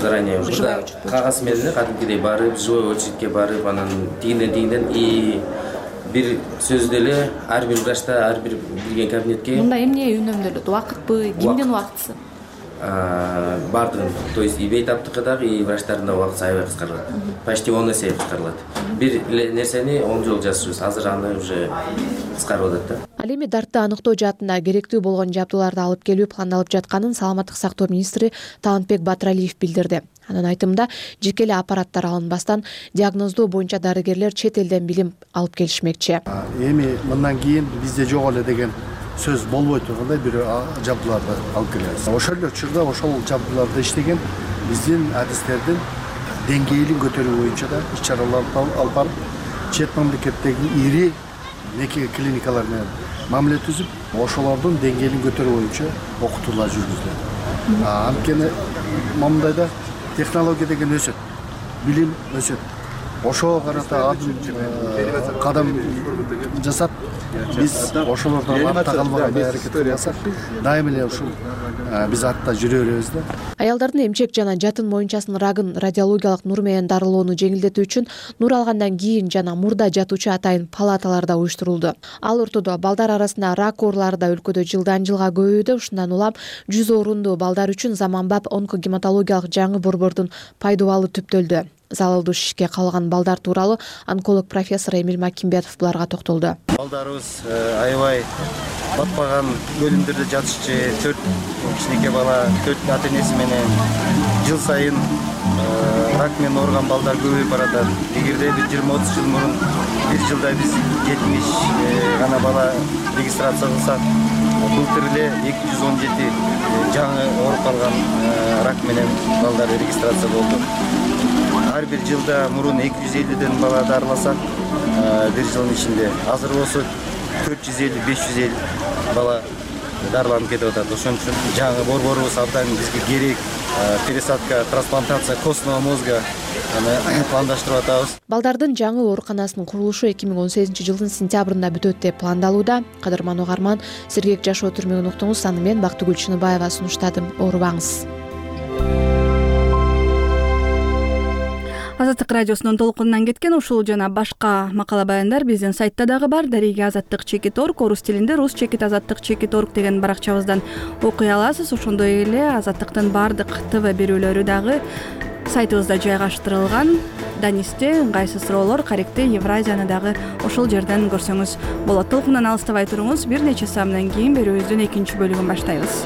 заранее уже кагаз менен кадимкидей барып, живой очередке барып, анан тигинден и бир сөздө эле ар бир врачта ар бир кирген кабинетке мында эмне үнөмдөлөт? Убакытпы, кимдин убактысы? Бардыгын, то есть и бейтаптыкы дагы, и врачтардын да убактысы аябай кыскарылат. Почти 10 эсе кыскарылат. Бир нерсени 10 жол жасырбыз, азыр аны уже кыскарып атат да. Ал эми дартты аныктоо жаатында керектүү болгон жабдууларды алып келүү пландалып жатканын Саламаттык сактоо министри Талантбек Батыралиев билдирди. Анын айтымында, жеке эле аппараттар алынбастан диагноздоо боюнча дарыгерлер чет элден билим алып келишмекчи. Эми мындан кийин бизде жок эле деген сөз болбой тургандай бир жабдууларды алып келебиз. Ошол эле учурда ошол жабдууларды иштеген биздин адистердин деңгээлин көтөрүү боюнча да иш-чаралар алып барып, чет мамлекеттеги ири клиникалар менен мамиле түзүп, ошолордун деңгээлин көтөрүү боюнча окутуулар жүргүзүлөт. Анткени мамдайда технология деген өсөт, билим өсөт. Ошого карата кадам жасап, биз ошолордон артта калбагандай аракет кылсак, дайым эле ушул биз артта жүрө беребиз да. Аялдардын эмчек жана жатын моюнчасынын рагын радиологиялык нур менен дарылоону жеңилдетүү үчүн нур алгандан кийин жана мурда жатуучу атайын палаталар да уюштурулду. Ал ортодо балдар арасында рак оорулары да өлкөдө жылдан жылга көбөйүүдө. Ушундан улам 100 орунду балдар үчүн заманбап онкогематологиялык жаңы борбордун пайдубалы түптөлдү. Залалдуу шишикке кабылган балдар тууралуу онколог профессор Эмил Макимбетов буларга токтолду. Балдарыбыз аябай батпаган бөлүмдөрдө жатышчу, 4 кичинекей бала, 4 ата-энеси менен жыл сайын рак менен ооруган балдар көбөйүп баратат. Эгерде 20-30 жыл мурун бир жылда биз 70 гана бала регистрация кылсак, былтыр эле 217 жаңы ооруп калган рак менен балдар регистрация болду. Ар бир жылда мурун 250ден бала дарыласак, бир жылдын ичинде азыр болсо 450-550 бала дарыланып кетип атат. Ошон үчүн жаңы борборубуз абдан бизге керек. Пересадка, трансплантация костного мозга аны пландаштырып атабыз. Балдардын жаңы ооруканасынын курулушу 2018 жылдын сентябрында бүтөт деп пландалууда. Кадырман угарман, сергек жашоо түрмөгүн уктуңуз. Аны мен Бактыгүл Чыныбаева сунуштадым. Оорубаңыз. Азаттык радиосунун толкунунан кеткен ушул жана башка макала баяндар биздин сайтта дагы бар. Дареги azattik.org, орус тилинде rus-azattik.org деген баракчабыздан окуй аласыз. Ошондой эле Азаттыктын бардык ТВ берүүлөрү дагы сайтыбызда жайгаштырылган. Данисте ыңгайсыз суроолор, каректи Евразияны дагы ошол жерден көрсөңүз болот. Толкундан алыстабай туруңуз. Бир нече саамдан кийин берүүбүздүн экинчи бөлүгүн баштайбыз.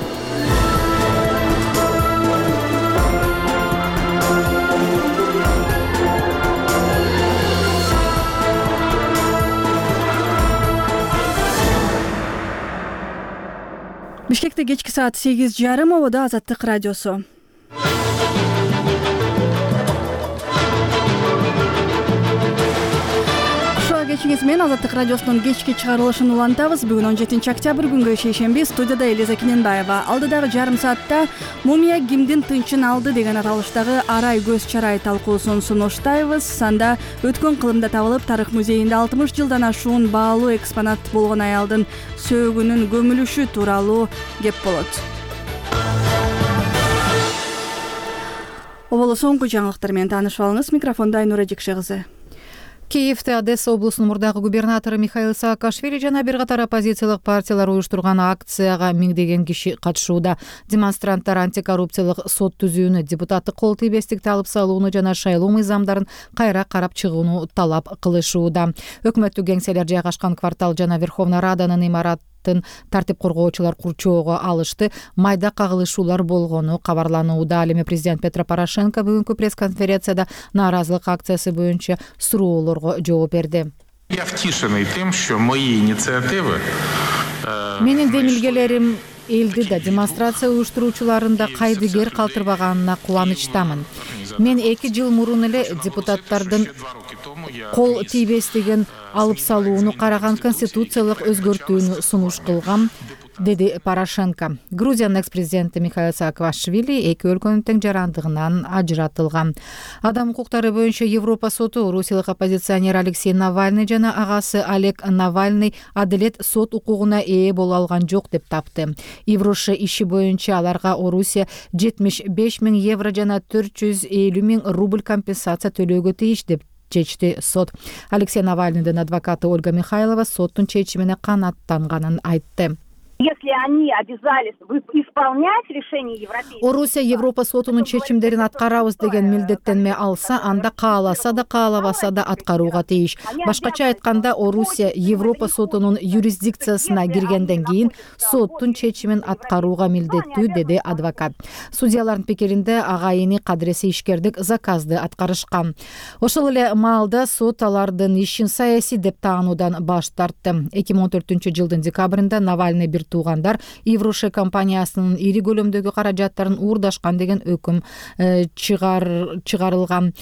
Бишкекте кечки саат 8:30 ободо Азаттык радиосу. Кечиңиз менен Азаттык радиосунун кечки чыгарылышын улантабыз. Бүгүн 17 октябрь күнгө шейшемби. Студияда Элиза Киненбаева. Алдыдагы жарым саатта мумия кимдин тынчын алды деген аталыштагы арай көз чарай талкуусун сунуштайбыз. Санда өткөн кылымда табылып, тарых музейинде 60 жылдан ашуун баалуу экспонат болгон аялдын сөөгүнүн көмүлүшү тууралуу кеп болот. Оболо соңку жаңылыктар менен таанышып алыңыз. Микрофондо Айнура Жекше кызы. Киевде Одесса облусунун мурдагы губернатору Михаил Саакашвили жана бир катар оппозициялык партиялар уюштурган акцияга миңдеген киши катышууда. Демонстранттар антикоррупциялык сот түзүүнү, депутаттык кол тийбестикти алып салууну жана шайлоо мыйзамдарын кайра карап чыгууну талап кылышууда. Өкмөттүк кеңселер жайгашкан квартал жана Верховная Раданын имаратын тартип коргоочулар курчоого алышты. Майда кагылышуулар болгону кабарланууда. Ал эми президент Петро Порошенко бүгүнкү пресс-конференцияда нааразылык акциясы боюнча суроолорго жооп берди. Я втішений тим, що мої ініціативи Менин демилгелерим элди да, демонстрация уюштуруучуларын да кайдыгер калтырбаганына кубанычтамын. Мен 2 жыл мурун эле депутаттардын кол тийбестигин алып салууну караган конституциялык өзгөртүүнү сунуш кылгам, деди Порошенко. Грузиянын экс-президенти Михаил Саакашвили эки өлкөнүн тең жарандыгынан ажыратылган. Адам укуктары боюнча Европа соту Русиялык оппозиционер Алексей Навальный жана агасы Олег Навальный адилет сот укугуна ээ боло алган жок деп тапты. Евроша иши боюнча аларга Орусия 75 000 евро жана 450 000 рубль компенсация төлөөгө тийиш деп чечти сот. Алексей Навальныйдын адвокаты Ольга Михайлова соттун чечимине канааттанганын айтты. Если они обязались исполнять решение Европейского... Орусия Европа сотунун чечимдерин аткарабыз деген милдеттенме алса, анда кааласа да каалабаса да аткарууга тийиш. Башкача айтканда, Орусия Европа сотунун юрисдикциясына киргенден кийин соттун чечимин аткарууга милдеттүү, деди адвокат. Судьялардын пикиринде агайыны кадыреси ишкердик заказды аткарышкан. Ошол эле маалда сот алардын ишин саясий деп таануудан баш тартты. 2014 жылдын декабрында Навальный бир туугандар Евроша компаниясынын ири көлөмдөгү каражаттарын уурдашкан деген өкүм чыгарылган.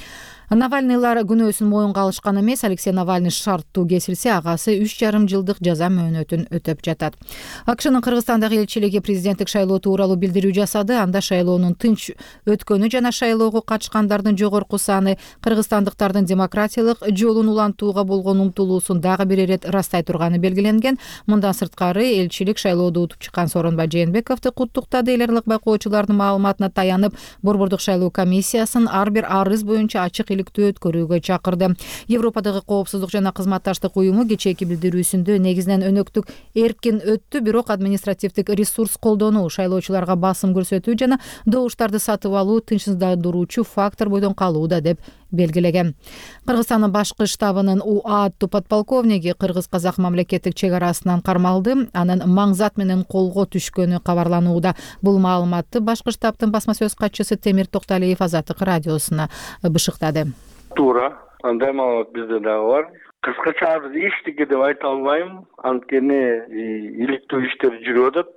Навальныйлар күнөөсүн моюнга алышкан эмес. Алексей Навальный шарттуу кесилсе, агасы 3,5 жылдык жаза мөөнөтүн өтөп жатат. АКШнын Кыргызстандагы элчилиги президенттик шайлоо тууралуу билдирүү жасады. Анда шайлоонун тынч өткөнү жана шайлоого катышкандардын жогорку саны кыргызстандыктардын демократиялык жолун улантууга болгон умтулуусун дагы бир ирет растай турганы белгиленген. Мындан сырткары элчилик шайлоодо утуп чыккан Сооронбай Жээнбековду куттуктады. Эл аралык байкоочулардын маалыматына таянып, Борбордук шайлоо комиссиясын ар бир арыз боюнча ачык өткөрүүгө чакырды. Европадагы коопсуздук жана кызматташтык уюму кечээки билдирүүсүндө негизинен өнөктүк эркин өттү, бирок административдик ресурс колдонуу, шайлоочуларга басым көрсөтүү жана добуштарды сатып алуу тынчсыздандыруучу фактор бойдон калууда деп белгилеген. Кыргызстандын башкы штабынын УА аттуу подполковниги кыргыз-казак мамлекеттик чек арасынан кармалды. Анын маңзат менен колго түшкөнү кабарланууда. Бул маалыматты башкы штабтын басма сөз катчысы Темир Токталиев Азаттык радиосуна бышыктады. Туура, андай маалымат бизде дагы бар. Кыскача эчтеке деп айта албайм, анткени иликтөө иштер жүрүп атат.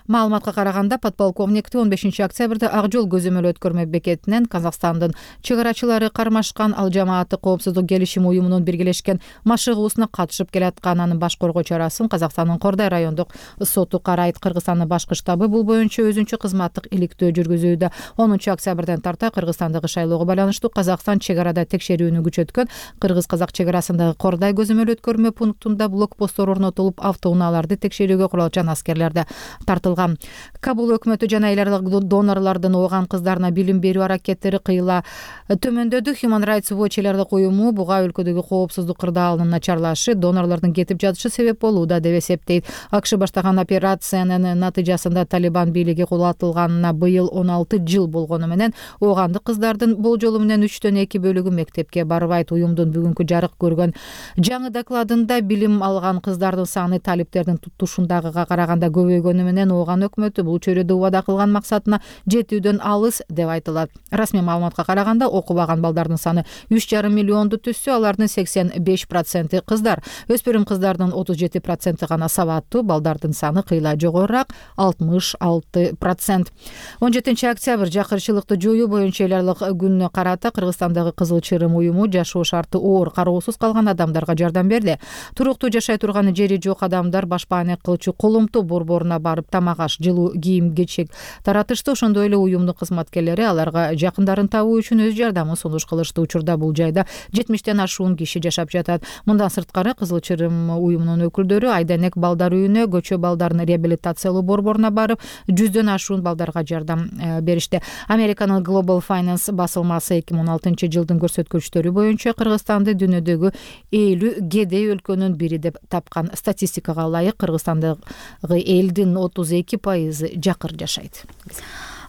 Маалыматка караганда подполковникти 15 октябрда Ак жол көзөмөл өткөрмө бекетинен Казакстандын чыгарачылары кармашкан, ал жамааттык коопсуздук келишим уюмунун биргелешкен машыгуусуна катышып келаткан. Анын баш коргоо чарасын Казакстандын Кордай райондук соту карайт. Кыргызстандын башкы штабы бул боюнча өзүнчө кызматтык иликтөө жүргүзүүдө. 10 октябрдан тарта Кыргызстандагы шайлоого байланыштуу Казакстан чек арада текшерүүнү күчөткөн. Кыргыз-казак чек арасындагы Кордай көзөмөл өткөрмө пунктунда блокпосттор орнотулуп, автоунааларды текшерүүгө куралчан аскерлер да тартылган. Кабул өкмөтү жана эл аралык донорлордун ооган кыздарына билим берүү аракеттери кыйла төмөндөдү. Human Rights Watch эл аралык уюму буга өлкөдөгү коопсуздук кырдаалынын начарлашы, донорлордун кетип жатышы себеп болууда деп эсептейт. АКШ баштаган операциянын натыйжасында Талибан бийлиги кулатылганына быйыл 16 жыл болгону менен оогандык кыздардын болжолу менен 3төн 2 бөлүгү мектепке барбайт. Уюмдун бүгүнкү жарык көргөн жаңы докладында билим алган кыздардын саны талиптердин тутушундагыга караганда көбөйгөнү менен ооган өкмөтү бул чөйрөдө убада кылган максатына жетүүдөн алыс деп айтылат. Расмий маалыматка караганда окубаган балдардын саны 3,5 миллионду түзсө, алардын 85% кыздар. Өспүрүм кыздардын 37% гана сабаттуу, балдардын саны кыйла жогорураак 66%. 17 октябрь жакырчылыкты жоюу боюнча эл аралык күнүнө карата Кыргызстандагы Кызыл Чырым уюму жашоо шарты оор, кароосуз калган адамдарга жардам берди. Туруктуу жашай турган жери жок адамдар башпаанек кылчу колумту борборуна барып тамак аш, жылуу кийим кечек таратышты. Ошондой эле уюмдун кызматкерлери аларга жакындарын табуу үчүн өз жардамын сунуш кылышты. Учурда бул жайда 70тен ашуун киши жашап жатат. Мындан сырткары Кызыл Чырым уюмунун өкүлдөрү Айденек балдар үйүнө, көчө балдарын реабилитациялоо борборуна барып, 100дөн ашуун балдарга жардам беришти. Американын Global Finance басылмасы 2016 жылдын көрсөткүчтөрү боюнча Кыргызстанды дүйнөдөгү 50 кедей өлкөнүн бири деп тапкан. Статистикага ылайык Кыргызстандагы элдин 32% жакыр жашайт.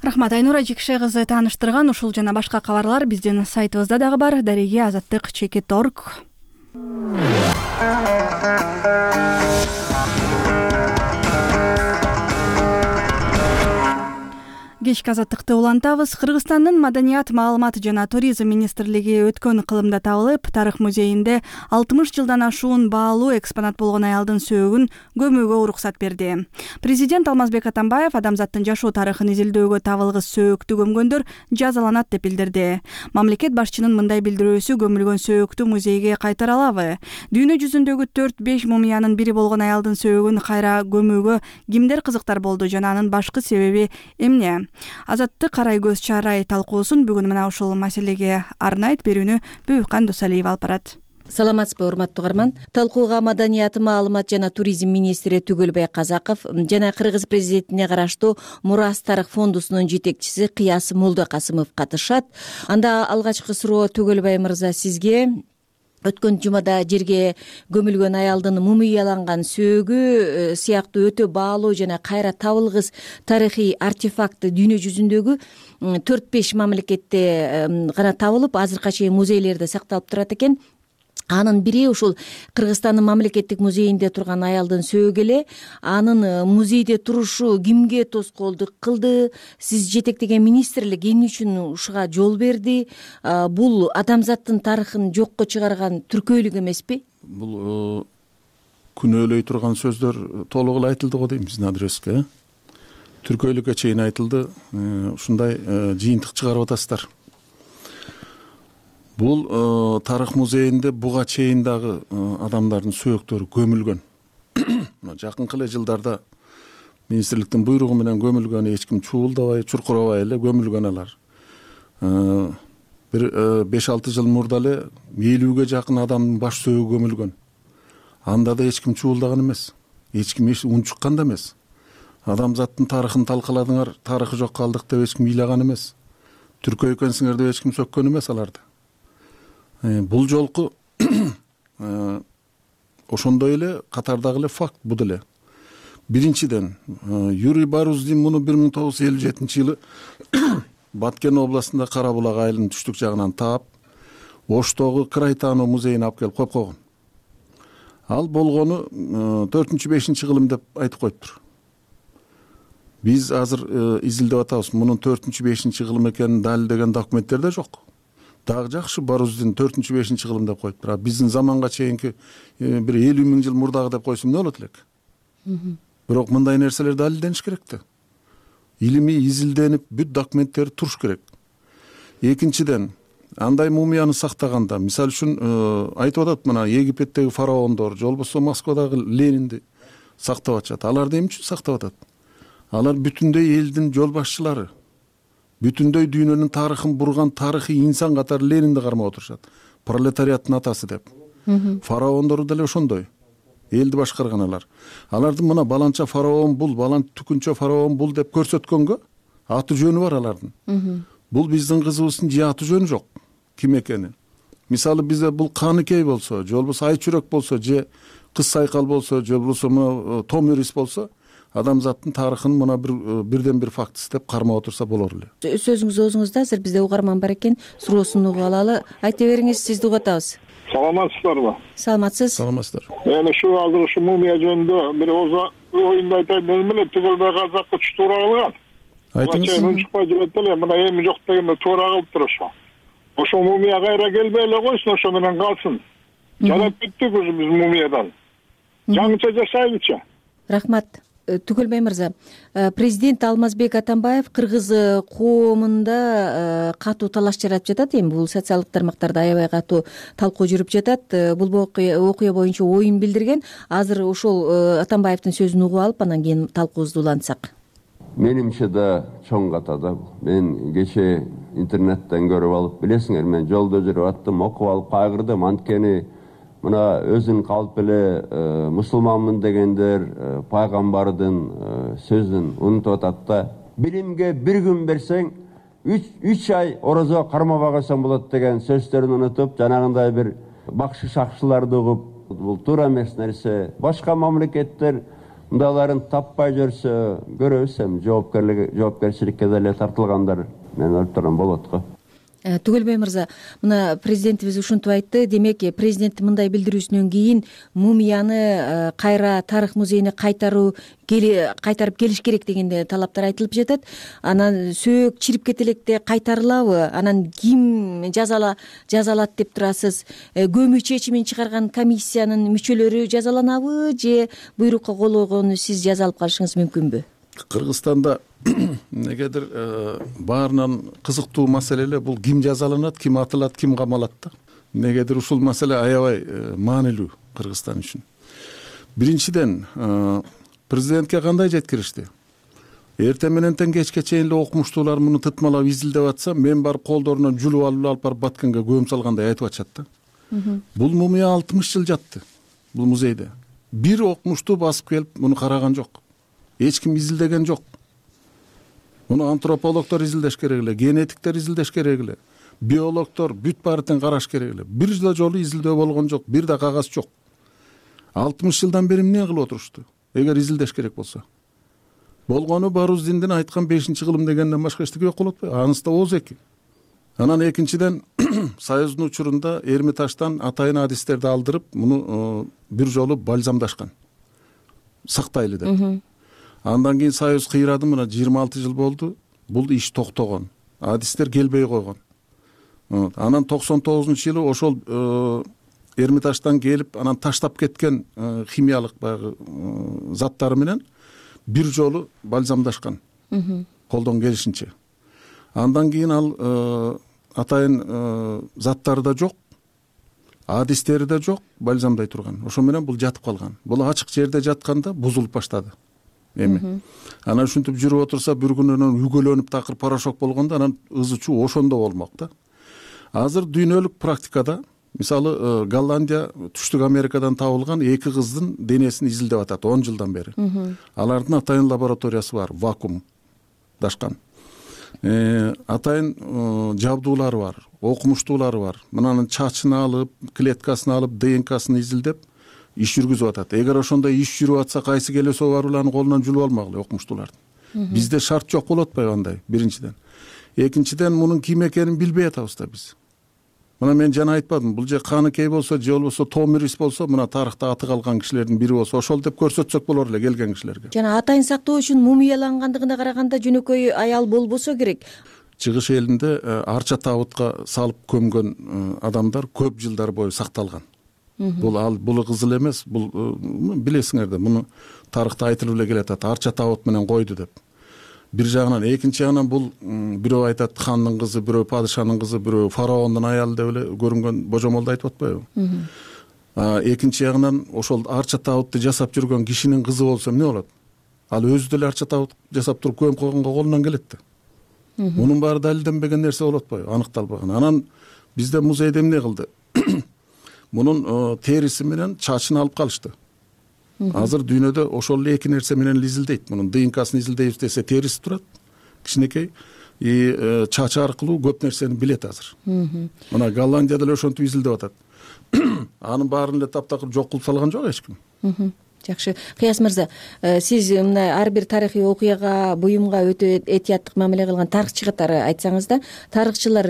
Рахмат, Айнура Жекше кызы тааныштырган. Ушул жана башка кабарлар биздин сайтыбызда дагы бар. Дареги Азаттык.org. Кечки Азаттыкты улантабыз. Кыргызстандын Маданият, маалымат жана туризм министрлиги өткөн кылымда табылып, тарых музейинде 60 жылдан ашуун баалуу экспонат болгон аялдын сөөгүн көмүүгө уруксат берди. Президент Алмазбек Атамбаев адамзаттын жашоо тарыхын изилдөөгө табылгыс сөөктү көмгөндөр жазаланат деп билдирди. Мамлекет башчынын мындай билдирүүсү көмүлгөн сөөктү музейге кайтара алабы? Дүйнө жүзүндөгү 4-5 мумиянын бири болгон аялдын сөөгүн кайра көмүүгө кимдер кызыктар болду жана анын башкы себеби эмне? Азаттык карай көз чарай талкуусун бүгүн мына ушул маселеге арнайт берүүнү Бүйүккан Досалиев алып барат. Саламатсызбы, урматтуу угарман. Талкууга Маданият, маалымат жана туризм министри Түгөлбай Казаков жана Кыргыз президентине караштуу Мурас тарых фондусунун жетекчиси Кыяс Молдокасымов катышат. Анда алгачкы суроо Түгөлбай мырза сизге. Өткөн жумада жерге көмүлгөн аялдын мумияланган сөөгү сыяктуу өтө баалуу жана кайра табылгыс тарыхый артефакты дүйнө жүзүндөгү 4-5 мамлекетте гана табылып, азыркыга чейин музейлерде сакталып турат экен. Анын бири ушул Кыргызстандын мамлекеттик музейинде турган аялдын сөөгү эле. Анын музейде турушу кимге тоскоолдук кылды? Сиз жетектеген министрлик эмне үчүн ушуга жол берди? Бул адамзаттын тарыхын жокко чыгарган түркөйлүк эмеспи? Бул күнөөлөй турган сөздөр толук эле айтылды го дейм биздин адреске. Түркөйлүккө чейин айтылды. Ушундай жыйынтык чыгарып атасыздар. Бул тарых музейинде буга чейин дагы адамдардын сөөктөрү көмүлгөн. Жакынкы эле жылдарда министрликтин буйругу менен көмүлгөн, эч ким чуулдабай, чуркурабай эле көмүлгөн алар. Бир 5-6 жыл мурда эле 50ге жакын адамдын баш сөөгү көмүлгөн. Анда да эч ким чуулдаган эмес, эч ким унчуккан да эмес. Адамзаттын тарыхын талкаладыңар, тарыхы жок калдык деп эч ким ыйлаган эмес. Түркөй экенсиңер деп эч ким сөккөн эмес аларды. Бул жолку ошондой эле катардагы эле факт бул эле. Биринчиден, Юрий Баруздин муну 1957-жылы Баткен областында Кара булак айылынын түштүк жагынан таап, Оштогу Крайтану музейине алып келип коюп койгон. Ал болгону 4-5 кылым деп айтып коюптур. Биз азыр изилдеп атабыз. Мунун 4-5 кылым экенин далилдеген документтер да жок. Дагы жакшы Баруздин 4-5 кылым деп коюптур. Биздин заманга чейинки бир 50 000 жыл мурдагы деп койсо эмне болот элек? бирок мындай нерселер далилдениш керек да. Илимий изилденип бүт документтери туруш керек. Экинчиден, андай мумияны сактаганда, мисалы үчүн айтып атат, мына Египеттеги фараондор же болбосо Москвадагы Ленинди сактап атышат. Аларды эмне үчүн сактап атат? Алар бүтүндөй элдин жол башчылары. Бүтүндөй дүйнөнүн тарыхын бурган тарыхый инсан катары Ленинди кармап отурушат. Пролетариаттын атасы деп. Фараондору деле ошондой. Элди башкарган алар. Алардын мына баланча фараон бул, баланча түкүнчө фараон бул деп көрсөткөнгө аты жөнү бар алардын. Бул биздин кызыбыздын же аты жөнү жок. Ким экени? Мисалы бизде бул Каныкей болсо, же болбосо Айчүрөк болсо, же Кыз Сайкал болсо, же болбосо мына Томирис болсо, адамзаттын тарыхын мына бирден бир фактысы деп кармап отурса болор эле. Сөзүңүз оозуңузда, азыр бизде угарман бар экен, суроосун угуп алалы. Айта бериңиз, сизди угуп атабыз. Саламатсыздарбы? Саламатсыз. Саламатсыздар. Эми азыр ушу мумия жөнүндө бир оюнду айтайын. Мен эле түгөлбөй казакка түш туура кылган. Айтыңыз. Унчукпай жүрөт эле, мына эми жок дегенде туура кылыптыр ошо. Ошо мумия кайра келбей эле койсун, ошо менен калсын. Жарап кеттик уже биз мумиядан. Жаңыча жашайлычы. Рахмат. Түгөлбай мырза, президент Алмазбек Атамбаев кыргыз коомунда катуу талаш жаратып жатат. Эми бул социалдык тармактарда аябай катуу талкуу жүрүп жатат. Бул окуя боюнча оюн билдирген. Азыр ошол Атамбаевдин сөзүн угуп алып, анан кийин талкуубузду улантсак. Менимче да чоң катада. Мен кече интернеттен көрүп алып, билесиңер, мен жолдо жүрүп аттым, окуп алып кайгырдым. Анткени мына өзүн калп эле мусулманмын дегендер пайгамбардын сөзүн унутуп атат да. Билимге бир күн берсең, 3 ай орозо кармабай койсоң болот деген сөздөрүн унутуп, жанагындай бир бакшы шакшыларды угуп, бул туура эмес нерсе. Башка мамлекеттер мындайларын таппай жүрсө, көрөбүз, эми жоопкерчиликке деле тартылгандар мен ойлоп турам болот го. Түгөлбай мырза, мына президентибиз ушинтип айтты. Демек, президенттин мындай билдирүүсүнөн кийин мумияны кайра тарых музейине кайтарып келиш керек дегенде талаптар айтылып жатат. Анан сөөк чирип кете электе кайтарылабы? Анан ким жазалат деп турасыз? Көмүү чечимин чыгарган комиссиянын мүчөлөрү жазаланабы же буйрукка кол койгону сиз жаза алып калышыңыз мүмкүнбү? Кыргызстанда негедир баарынан кызыктуу маселе эле бул ким жазаланат, ким атылат, ким камалат да. Негедир ушул маселе аябай маанилүү Кыргызстан үчүн. Биринчиден, президентке кандай жеткиришти? Эртең менен кечке чейин эле окумуштуулар муну тытмалап изилдеп атса, мен барып колдорунан жүлүп алып барып Баткенге көм салгандай айтып атышат да. Бул мумия 60 жыл жатты бул музейде. Бир окумуштуу басып келип муну караган жок. Эч ким изилдеген жок. Муну антропологдор изилдеш керек эле, генетиктер изилдеш керек эле, биологдор бүт баарын караш керек эле. Бир да жолу изилдөө болгон жок, бир да кагаз жок. 60 жылдан бери эмне кылып отурушту? Эгер изилдеш керек болсо. Болгону Баруздиндин айткан 5-кылым дегенден башка эчтеке жок болот го. Анысы да ооз эки. Анан экинчиден Союздун учурунда Эрмитаждан атайын адистерди алдырып, муну бир жолу бальзамдашкан. Сактайлы деп. Андан кийин Союз кыйрады, мына 26 жыл болду. Бул иш токтогон. Адистер келбей койгон. Анан 99-жылы ошол Эрмитаждан келип, анан таштап кеткен химиялык баягы заттары менен бир жолу бальзамдашкан. Колдон келишинче. Андан кийин ал атайын заттары да жок, адистери да жок, бальзамдай турган. Ошо менен бул жатып калган. Бул ачык жерде жатканда бузулуп баштады. Эми. Анан ушинтип жүрүп отурса, бир күнүнөн үгөлөнүп такыр порошок болгондо, анан ызы чуу ошондо болмок да. Азыр дүйнөлүк практикада, мисалы Голландия Түштүк Америкадан табылган 2 кыздын денесин изилдеп атат 10 жылдан бери. Алардын атайын лабораториясы бар, вакуумдашкан. Атайын жабдуулары бар, окумуштуулары бар. Мынанын чачын алып, клеткасын алып, ДНК-сын изилдеп иш жүргүзүп атат. Эгер ошондой иш жүрүп атса, кайсы келесо баруларны колунан жүлүп алмак эле окумуштуулардын. Бизде шарт жок болот атпайбы андай, биринчиден. Экинчиден, мунун ким экенин билбей атабыз да биз. Мына мен жана айтпадым, бул же Каныкей болсо, же болбосо Томирис болсо, мына тарыхта аты калган кишилердин бири болсо, ошол деп көрсөтсөк болор эле келген кишилерге. Жана атайын сактоо үчүн мумиялангандыгына караганда жөнөкөй аял болбосо керек. Чыгыш элинде арча табытка салып көмгөн адамдар көп жылдар бою сакталган. Бул кызыл эмес, бул билесиңер да, муну тарыхта айтылып эле келатат, арча табыт менен койду деп. Бир жагынан, экинчи жагынан бул бирөө айтат хандын кызы, бирөө падышанын кызы, бирөө фараондун аялы деп эле көрүнгөн божомолду айтып атпайбы? Экинчи жагынан ошол арча табытты жасап жүргөн кишинин кызы болсо эмне болот? Ал өзү деле арча табыт жасап туруп көмүп койгонго колунан келет да. Мунун баары далилденбеген нерсе болуп атпайбы? Аныкталбаган. Анан бизде музейде эмне кылды? Мунун териси менен чачын алып калышты. Азыр дүйнөдө ошол эле эки нерсе менен изилдейт. Мунун ДНКсын изилдейбиз десе териси турат, кичинекей, чачы аркылуу көп нерсени билет азыр. Мына Голландия деле ошентип изилдеп атат. Анын баарын эле таптакыр жок кылып салган жок эч ким. Жакшы. Кыяс мырза, сиз мына ар бир тарыхый окуяга, буюмга өтө этияттык мамиле кылган тарыхчы катары айтсаңыз да, тарыхчылар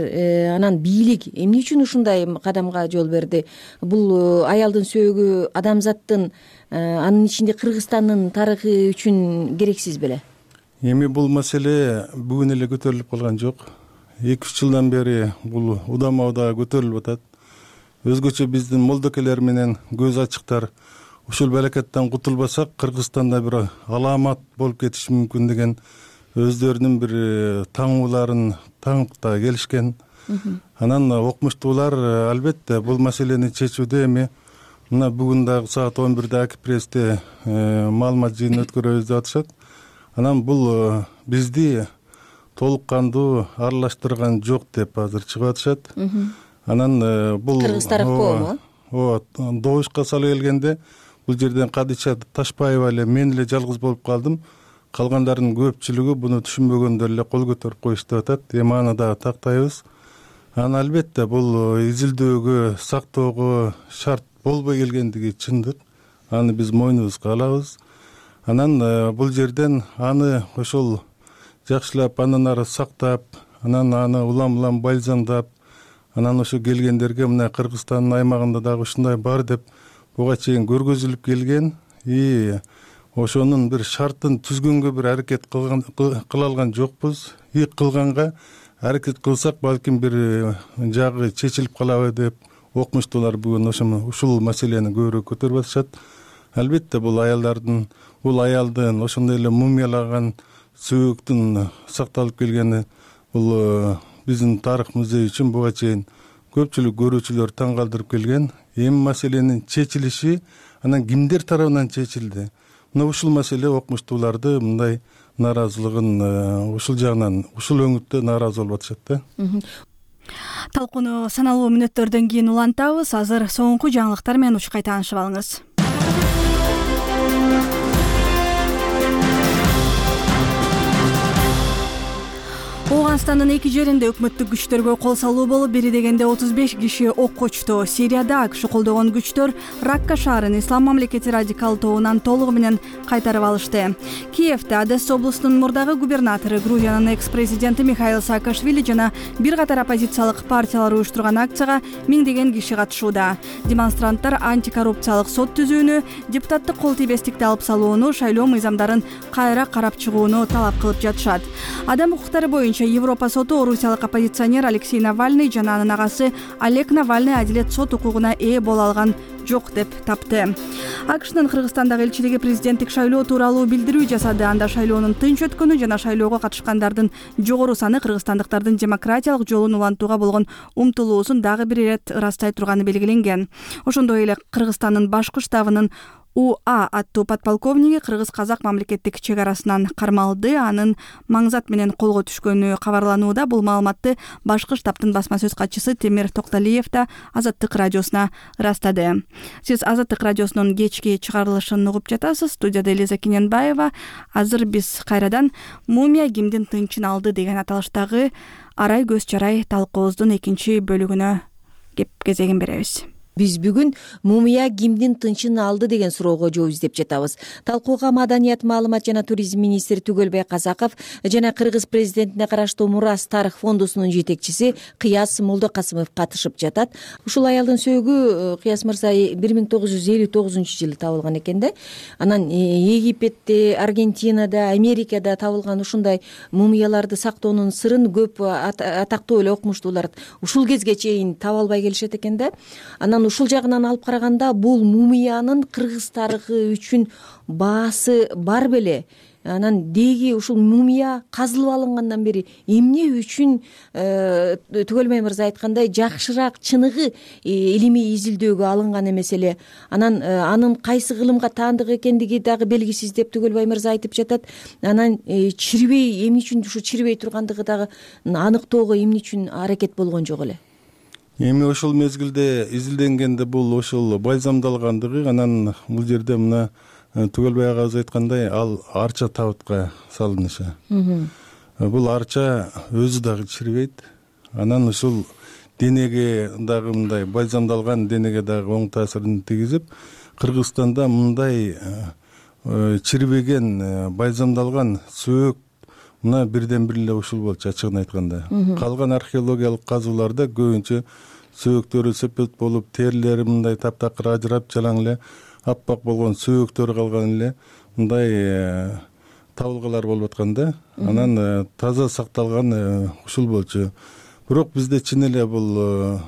анан бийлик эмне үчүн ушундай кадамга жол берди? Бул аялдын сөөгү адамзаттын, анын ичинде Кыргызстандын тарыхы үчүн керексиз беле? Эми бул маселе бүгүн эле көтөрүлүп калган жок. 2-3 жылдан бери бул удама-удаа көтөрүлүп атат. Өзгөчө биздин молдокелер менен көз ачыктар ушул балакеттен кутулбасак, Кыргызстанда бир аламат болуп кетиши мүмкүн деген өздөрүнүн бир таңууларын таңып да келишкен. Анан окумуштуулар албетте бул маселени чечүүдө эми мына бүгүн дагы саат 11-де Акипрессте маалымат жыйынын өткөрөбүз деп атышат. Анан бул бизди толук кандуу аралаштырган жок деп азыр чыгып атышат. Анан бул Кыргыз тарап коому? Ооба, добушка салып келгенде бул жерден Кадыча Ташпаева эле мен эле жалгыз болуп калдым. Калгандарынын көпчүлүгү буну түшүнбөгөндөр эле кол көтөрүп коюшту деп атат. Эми аны дагы тактайбыз. Анан албетте бул изилдөөгө, сактоого шарт болбой келгендиги чындык. Аны биз мойнубузга алабыз. Анан бул жерден аны ошол жакшылап андан ары сактап, анан аны улам-улам байлзамдап, анан ошо келгендерге мына Кыргызстандын аймагында дагы ушундай бар деп буга чейин көргөзүлүп келген. Ошонун бир шартын түзгөнгө бир аракет кыла алган жокпуз. Кылганга аракет кылсак балким бир жагы чечилип калабы деп окумуштуулар бүгүн ушул маселени көбүрөөк көтөрүп атышат. Албетте бул аялдын ошондой эле мумиялаган сөөктүн сакталып келгени бул биздин тарых музей үчүн буга чейин көпчүлүк көрүүчүлөр таң калтырып келген. Эми маселенин чечилиши анан кимдер тарабынан чечилди? Мына ушул маселе окумуштууларды мындай нааразылыгын ушул жагынан, ушул өңүттө нааразы болуп атышат да. Талкууну саналуу мүнөттөрдөн кийин улантабыз. Азыр соңку жаңылыктар менен учкай таанышып алыңыз. Ооганстандын эки жеринде өкмөттүк күчтөргө кол салуу болуп, бери дегенде 35 киши окко учту. Сирияда АКШ колдогон күчтөр Ракка шаарын Ислам мамлекети радикал тобунан толугу менен кайтарып алышты. Киевде Одесса облусунун мурдагы губернатору, Грузиянын экс-президенти Михаил Саакашвили жана бир катар оппозициялык партиялар уюштурган акцияга миңдеген киши катышууда. Демонстранттар антикоррупциялык сот түзүүнү, депутаттык кол тийбестикти алып салууну, шайлоо мыйзамдарын кайра карап чыгууну талап кылып жатышат. Адам укуктары боюнча Европа соту орусиялык оппозиционер Алексей Навальный жана анын агасы Олег Навальный адилет сот укугуна ээ боло алган жок деп тапты. АКШнын Кыргызстандагы элчилиги президенттик шайлоо тууралуу билдирүү жасады. Анда шайлоонун тынч өткөнү жана шайлоого катышкандардын жогору саны кыргызстандыктардын демократиялык жолун улантууга болгон умтулуусун дагы бир ирет ырастай турганы белгиленген. Ошондой эле Кыргызстандын башкы штабынын УА аттуу подполковниги кыргыз-казак мамлекеттик чек арасынан кармалды. Анын маңзат менен колго түшкөнү кабарланууда. Бул маалыматты башкы штабтын басма сөз катчысы Темир Токталиев да Азаттык радиосуна ырастады. Сиз Азаттык радиосунун кечки чыгарылышын угуп жатасыз. Студияда Элиза Кененбаева. Азыр биз кайрадан мумия кимдин тынчын алды деген аталыштагы арай көз чарай талкуубуздун экинчи бөлүгүнө кеп кезегин беребиз. Биз бүгүн мумия кимдин тынчын алды деген суроого жооп издеп жатабыз. Талкууга Маданият, маалымат жана туризм министри Түгөлбай Казаков жана Кыргыз президентине караштуу Мурас тарых фондусунун жетекчиси Кыяс Молдокасымов катышып жатат. Ушул аялдын сөөгү Кыяс мырза 1959-жылы табылган экен да. Анан Египетте, Аргентинада, Америкада табылган ушундай мумияларды сактоонун сырын көп атактуу эле окумуштуулар ушул кезге чейин таба албай келишет экен да. Анан ушул жагынан алып караганда бул мумиянын кыргыз тарыхы үчүн баасы бар беле? Анан деги ушул мумия казылып алынгандан бери эмне үчүн Түгөлбай мырза айткандай жакшыраак чыныгы илимий изилдөөгө алынган эмес эле? Анан анын кайсы кылымга таандык экендиги дагы белгисиз деп Түгөлбай мырза айтып жатат. Анан чирбей эмне үчүн ушу чирбей тургандыгы дагы аныктоого эмне үчүн аракет болгон жок эле? Эми ошол мезгилде изилденгенде бул ошол бальзамдалгандыгы, анан бул жерде мына Түгөлбай агабыз айткандай, ал арча табытка салынышы. Бул арча өзү дагы чирбейт. Анан ушул денеге дагы мындай бальзамдалган денеге дагы оң таасирин тийгизип, Кыргызстанда мындай чирбеген бальзамдалган сөөк мына бирден бир эле ушул болчу, ачыгын айтканда. Калган археологиялык казууларда көбүнчө сөөктөрү сепет болуп, терилери мындай таптакыр ажырап, жалаң эле аппак болгон сөөктөрү калган эле мындай табылгалар болуп аткан да. Анан таза сакталган ушул болчу. Бирок бизде чын эле бул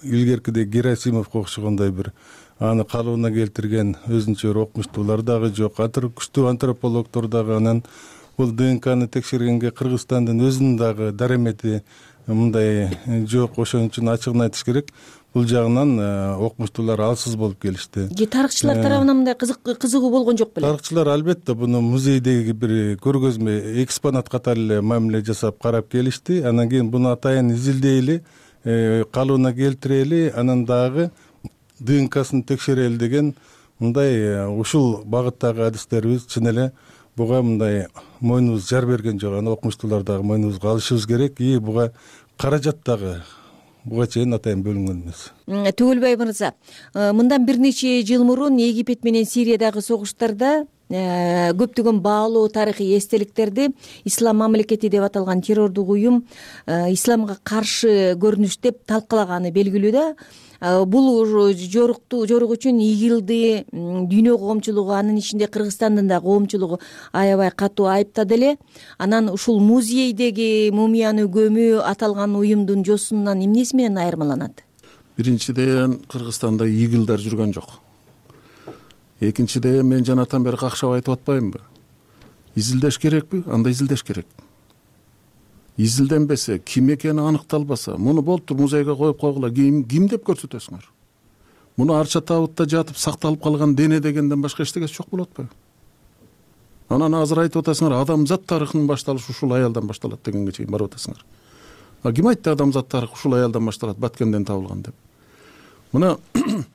илгеркидей Герасимовго окшогондой бир аны калыбына келтирген өзүнчө бир окумуштуулар дагы жок. Күчтүү антропологдор дагы анан бул ДНКны текшергенге Кыргызстандын өзүнүн дагы дарамети мындай жок. Ошон үчүн ачыгын айтыш керек. Бул жагынан окумуштуулар алсыз болуп келишти. Тарыхчылар тарабынан мындай кызыгуу болгон жок беле? Тарыхчылар албетте буну музейдеги бир көргөзмө экспонат катары эле мамиле жасап карап келишти. Анан кийин буну атайын изилдейли, калыбына келтирели, анан дагы ДНКсын текшерели деген мындай ушул багыттагы адистерибиз чын эле буга мындай мойнубуз жар берген жок. Аны окумуштуулар дагы мойнубузга алышыбыз керек. И буга каражат дагы буга чейин атайын бөлүнгөн эмес. Түгөлбай мырза, мындан бир нече жыл мурун Египет менен Сириядагы согуштарда көптөгөн баалуу тарыхый эстеликтерди Ислам мамлекети деп аталган террордук уюм исламга каршы көрүнүш деп талкалаганы белгилүү да. Бул жорук үчүн ИГИЛди, дүйнө коомчулугу, анын ичинде Кыргызстандын да коомчулугу аябай катуу айыптады эле. Анан ушул музейдеги мумияны көмүү аталган уюмдун жосунан эмнеси менен айырмаланат? Биринчиден, Кыргызстанда ИГИЛдар жүргөн жок. Экинчиден, мен жанатан бери какшап айтып атпаймынбы? Изилдеш керекпи? Анда изилдеш керек. Изилденбесе, ким экени аныкталбаса, муну болуптур музейге коюп койгула, ким деп көрсөтөсүңөр? Муну арча табытта жатып сакталып калган дене дегенден башка эчтегеси жок болуп атпайбы? Анан азыр айтып атасыңар, адамзат тарыхынын башталышы ушул аялдан башталат дегенге чейин барып атасыңар. Ким айтты адамзат тарыхы ушул аялдан башталат, Баткенден табылган деп? Мына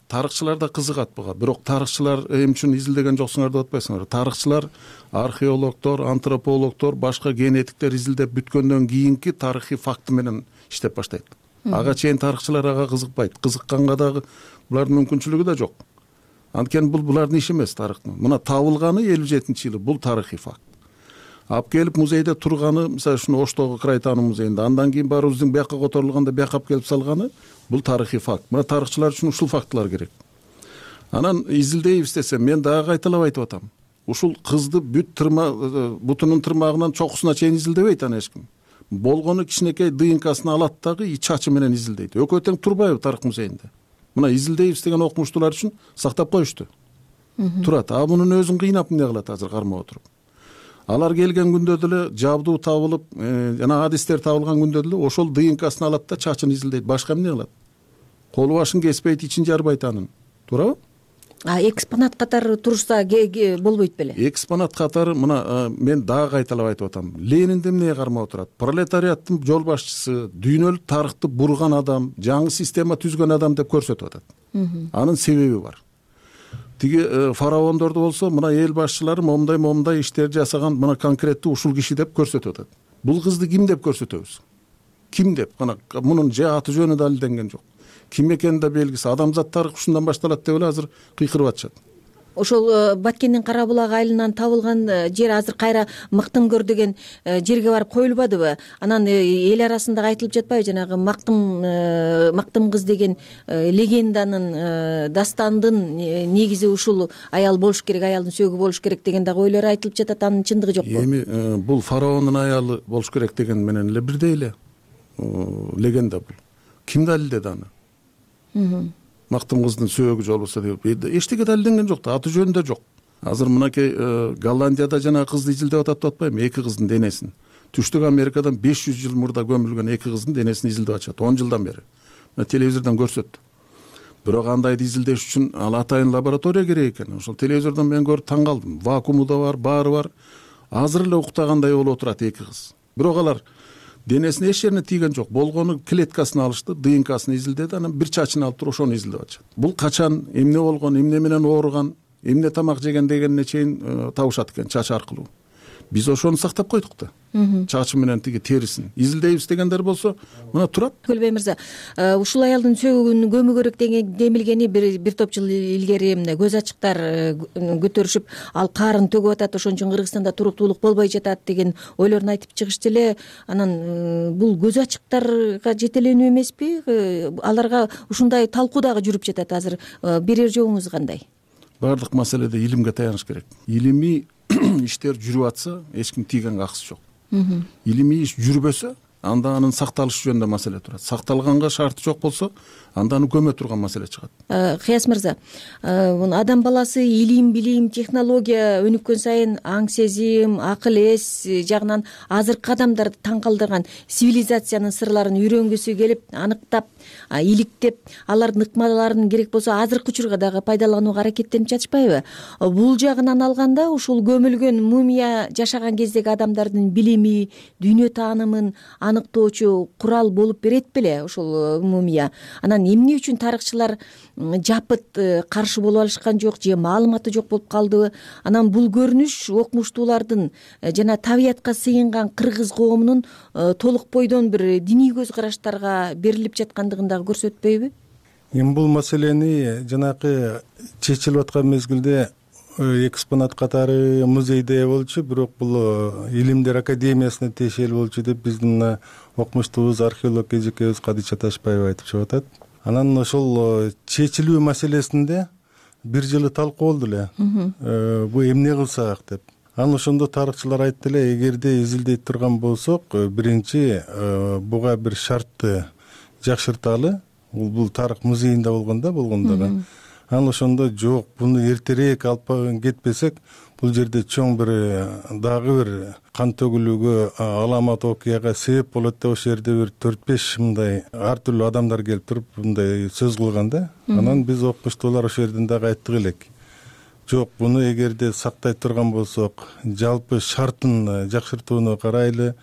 тарыхчылар да кызыгат буга. Бирок тарыхчылар эмне үчүн изилдеген жоксуңар деп атпайсыңар. Тарыхчылар, археологдор, антропологдор, башка генетиктер изилдеп бүткөндөн кийинки тарыхый факты менен иштеп баштайт. Ага чейин тарыхчылар ага кызыкпайт. Кызыкканга дагы булардын мүмкүнчүлүгү да жок. Анткени бул булардын иши эмес тарыхтын. Мына табылганы 57-жылы бул тарыхый факт. Алып келип музейде турганы, мисалы ушуну Оштогу Крайтану музейинде, андан кийин барыбыздын бияка которулганда бияка алып келип салганы бул тарыхый факт. Мына тарыхчылар үчүн ушул фактылар керек. Анан изилдейбиз десем, мен дагы кайталап айтып атам. Ушул кызды бүт бутунун тырмагынан чокусуна чейин изилдебейт аны эч ким. Болгону кичинекей ДНКсын алат дагы чачы менен изилдейт. Экөө тең турбайбы тарых музейинде? Мына изилдейбиз деген окумуштуулар үчүн сактап коюшту. Турат. А мунун өзүн кыйнап эмне кылат азыр кармап отуруп? Алар келген күндө деле жабдуу табылып, жана адистер табылган күндө деле ошол ДНКсын алат да чачын изилдейт. Башка эмне кылат? Колу башын кеспейт, ичин жарбайт анын. Туурабы? Экспонат катары турса болбойт беле? Экспонат катары мына мен дагы кайталап айтып атам. Ленинди эмнеге кармап отурат? Пролетариаттын жол башчысы, дүйнөлүк тарыхты бурган адам, жаңы система түзгөн адам деп көрсөтүп атат. Анын себеби бар. Тиги фараондорду болсо, мына эл башчылары момундай иштер жасаган, мына конкреттүү ушул киши деп көрсөтүп атат. Бул кызды ким деп көрсөтөбүз? Ким деп? Мына мунун же аты жөнү далилденген жок. Ким экени да белгисиз. Адамзат тарыхы ушундан башталат деп эле азыр кыйкырып атышат. Ошол Баткендин Кара булак айылынан табылган жер азыр кайра Мактымгөр деген жерге барып коюлбадыбы? Анан эл арасында айтылып жатпайбы, жанагы Мактым кыз деген легенданын, дастандын негизи ушул аял болуш керек, аялдын сөөгү болуш керек деген дагы ойлор айтылып жатат. Анын чындыгы жокпу? Эми бул фараондун аялы болуш керек деген менен эле бирдей эле легенда бул. Ким далилдеди аны? мактым кыздын сөөгү жолбосо деп эчтеке далилденген жок да, аты жөнүндө жок. Азыр мынакей Голландияда жана кызды изилдеп атат деп атпайбы, 2 кыздын денесин. Түштүк Америкадан 500 жыл мурда көмүлгөн 2 кыздын денесин изилдеп атышат 10 жылдан бери. Мына телевизордон көрсөттү. Бирок андайды изилдеш үчүн ал атайын лаборатория керек экен. Ошол телевизордон мен көрүп таң калдым. Вакууму да бар, баары бар. Азыр эле уктагандай болуп отурат 2 кыз. Бирок алар денесине эч жерине тийген жок. Болгону клеткасын алышты, ДНКсын изилдеди, анан бир чачын алып туруп ошону изилдеп атышат. Бул качан, эмне болгон, эмне менен ооруган, эмне тамак жеген дегенине чейин табышат экен чач аркылуу. Биз ошону сактап койдук да. Чачы менен тиги терисин изилдейбиз дегендер болсо мына турат. Көлбай мырза, ушул аялдын сөөгүн көмүү керек демилгени бир топ жыл илгери көз ачыктар көтөрүшүп, ал карын төгүп атат, ошон үчүн Кыргызстанда туруктуулук болбой жатат деген ойлорун айтып чыгышты эле. Анан бул көз ачыктарга жетеленүү эмеспи? Аларга ушундай талкуу дагы жүрүп жатат азыр. Берер жобуңуз кандай? Бардык маселеде илимге таяныш керек. Илимий иштер жүрүп атса, эч ким тийгенге акысы жок. Илимий иш жүрбөсө, анда анын сакталышы жөнүндө маселе турат. Сакталганга шарты жок болсо, анда аны көмө турган маселе чыгат. Кыяс мырза, адам баласы илим, билим, технология өнүккөн сайын аң сезим, акыл эс жагынан азыркы адамдарды таң калтырган цивилизациянын сырларын үйрөнгүсү келип, аныктап, иликтеп, алардын ыкмаларын керек болсо азыркы учурга дагы пайдаланууга аракеттенип жатышпайбы? Бул жагынан алганда ушул көмүлгөн мумия жашаган кездеги адамдардын билими, дүйнө таанымын аныктоочу курал болуп берет беле ушул мумия? Анан эмне үчүн тарыхчылар жапыт каршы болуп алышкан жок же маалыматы жок болуп калдыбы? Анан бул көрүнүш окумуштуулардын жана табиятка сыйынган кыргыз коомунун толук бойдон бир диний көз караштарга берилип жаткандыгын дагы көрсөтпөйбү? Эми бул маселени жанакы чечилип аткан мезгилде экспонат катары музейде болчу, бирок бул Илимдер академиясына тиешелүү болчу деп биздин окумуштуубуз, археолог эжекебиз Кадыча Ташбаева айтып чыгып атат. Анан ошол чечилүү маселесинде бир жылы талкуу болду эле. Бу эмне кылсак деп. Анан ошондо тарыхчылар айтты эле, эгерде изилдей турган болсок, биринчи буга бир шартты жакшырталы. Бул тарых музейинде болгондо. Анан ошондо жок, буну эртерээк алып кетпесек, бул жерде чоң бир дагы бир кан төгүлүүгө, аламат окуяга себеп болот деп ошол жерде бир 4-5 мындай ар түрдүү адамдар келип туруп мындай сөз кылган да. Анан биз окумуштуулар ошол жерден дагы айттык элек. Жок, буну эгерде сактай турган болсок, жалпы шартын жакшыртууну карайлы.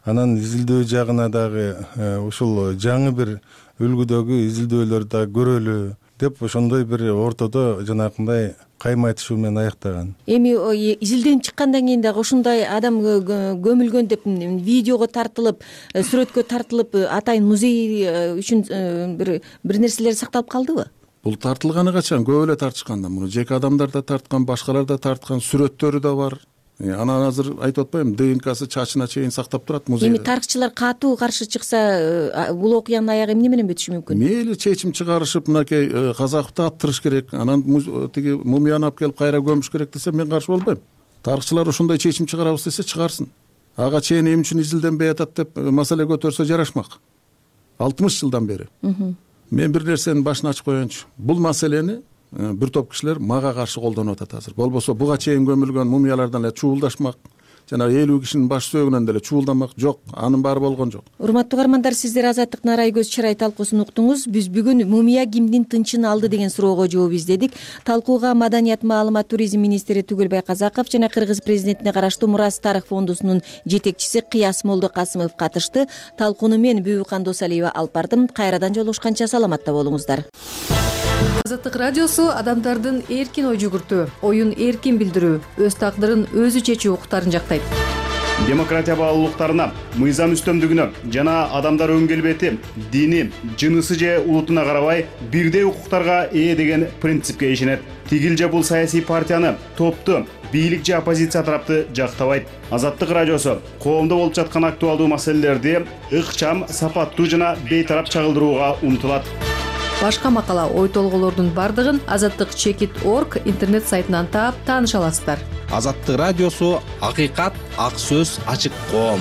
Анан изилдөө жагына дагы ушул жаңы бир үлгүдөгү изилдөөлөрдү дагы көрөлү деп ошондой бир ортодо жанакындай кайма айтышуу менен аяктаган. Эми изилденип чыккандан кийин дагы ушундай адам көмүлгөн деп видеого тартылып, сүрөткө тартылып, атайын музей үчүн бир нерселер сакталып калдыбы? Бул тартылганы качан? Көп эле тартышкан да. Муну жеке адамдар да тарткан, башкалар да тарткан, сүрөттөрү да бар. Анан азыр айтып атпаймынбы, ДНКсы чачына чейин сактап турат музейде. Эми тарыхчылар катуу каршы чыкса, бул окуянын аягы эмне менен бүтүшү мүмкүн? Мейли чечим чыгарышып, мынакей Казаковду аттырыш керек, анан тиги мумияны алып келип кайра көмүш керек десе, мен каршы болбойм. Тарыхчылар ушундай чечим чыгарабыз десе, чыгарсын. Ага чейин эмне үчүн изилденбей атат деп маселе көтөрсө жарашмак. 60 жылдан бери. Мен бир нерсенин башын ачып коеюнчу. Бул маселени бир топ кишилер мага каршы колдонуп атат азыр. Болбосо буга чейин көмүлгөн мумиялардан эле чуулдашмак, жана 50 кишинин баш сөөгүнөн деле чуулдамак жок, анын баары болгон жок. Урматтуу угармандар, сиздер Азаттык Нарай көз чырай талкуусун уктуңуз. Биз бүгүн мумия кимдин тынчын алды деген суроого жооп издедик. Талкууга Маданият, маалымат, туризм министри Түгөлбай Казаков жана Кыргыз президентине караштуу Мурас Тарых фондусунун жетекчиси Кыяс Молдокасымов катышты. Талкууну мен Бүбүкан Досалиева алып бардым. Кайрадан жолугушканча саламатта болуңуздар. Азаттык радиосу адамдардын эркин ой жүгүртүү, оюн эркин билдирүү, өз тагдырын өзү чечүү укуктарын жактайт. Демократия баалуулуктарына, мыйзам үстөмдүгүнө жана адамдар өң келбети, дини, жынысы же улутуна карабай бирдей укуктарга ээ деген принципке ишенет. Тигил же бул саясий партияны, топту, бийлик же оппозиция тарапты жактабайт. Азаттык радиосу коомдо болуп жаткан актуалдуу маселелерди ыкчам, сапаттуу жана бейтарап чагылдырууга умтулат. Башка макала, ой толголордун бардыгын azattik.org интернет сайтынан таап тааныша аласыздар. Азаттык радиосу — акыйкат, ак сөз, ачык коом.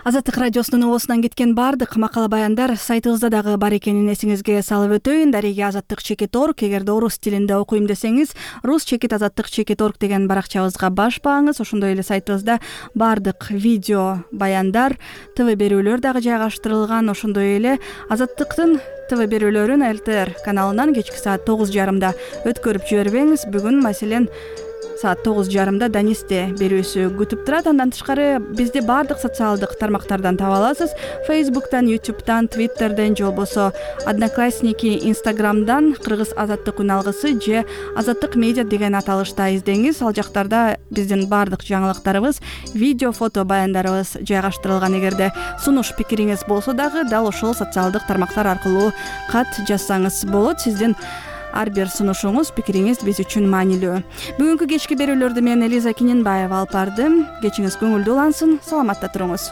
Азаттык радиосунун оосунан кеткен баардык макала баяндар сайтыбызда дагы бар экенин эсиңизге салып өтөйүн. Дареги azattik.org. Эгерде орус тилинде окуйм десеңиз, rus-azattik.org деген баракчабызга башпаңыз. Ошондой эле сайтыбызда баардык видео баяндар, ТВ берүүлөр дагы жайгаштырылган. Ошондой эле Азаттыктын ТВ берүүлөрүн ЛТР каналынан кечки саат 9:30 өткөрүп жибербеңиз. Бүгүн маселен саат 9:30 Данисте берүүсү күтүп турат. Андан тышкары бизди баардык социалдык тармактардан таба аласыз. Facebook'тан, YouTube'дан, Twitter'ден, же болбосо Одноклассники, Instagram'дан Кыргыз Азаттык үн алгысы же Азаттык медиа деген аталышта издеңиз. Ал жактарда биздин баардык жаңылыктарыбыз, видео, фото баяндарыбыз жайгаштырылган. Эгерде сунуш пикириңиз болсо дагы дал ошол социалдык тармактар аркылуу кат жазсаңыз болот. Сиздин ар бир сунушуңуз, пикириңиз биз үчүн маанилүү. Бүгүнкү кечки берүүлөрдү мен Элиза Киненбаева алып бардым. Кечиңиз көңүлдүү улансын, саламатта туруңуз.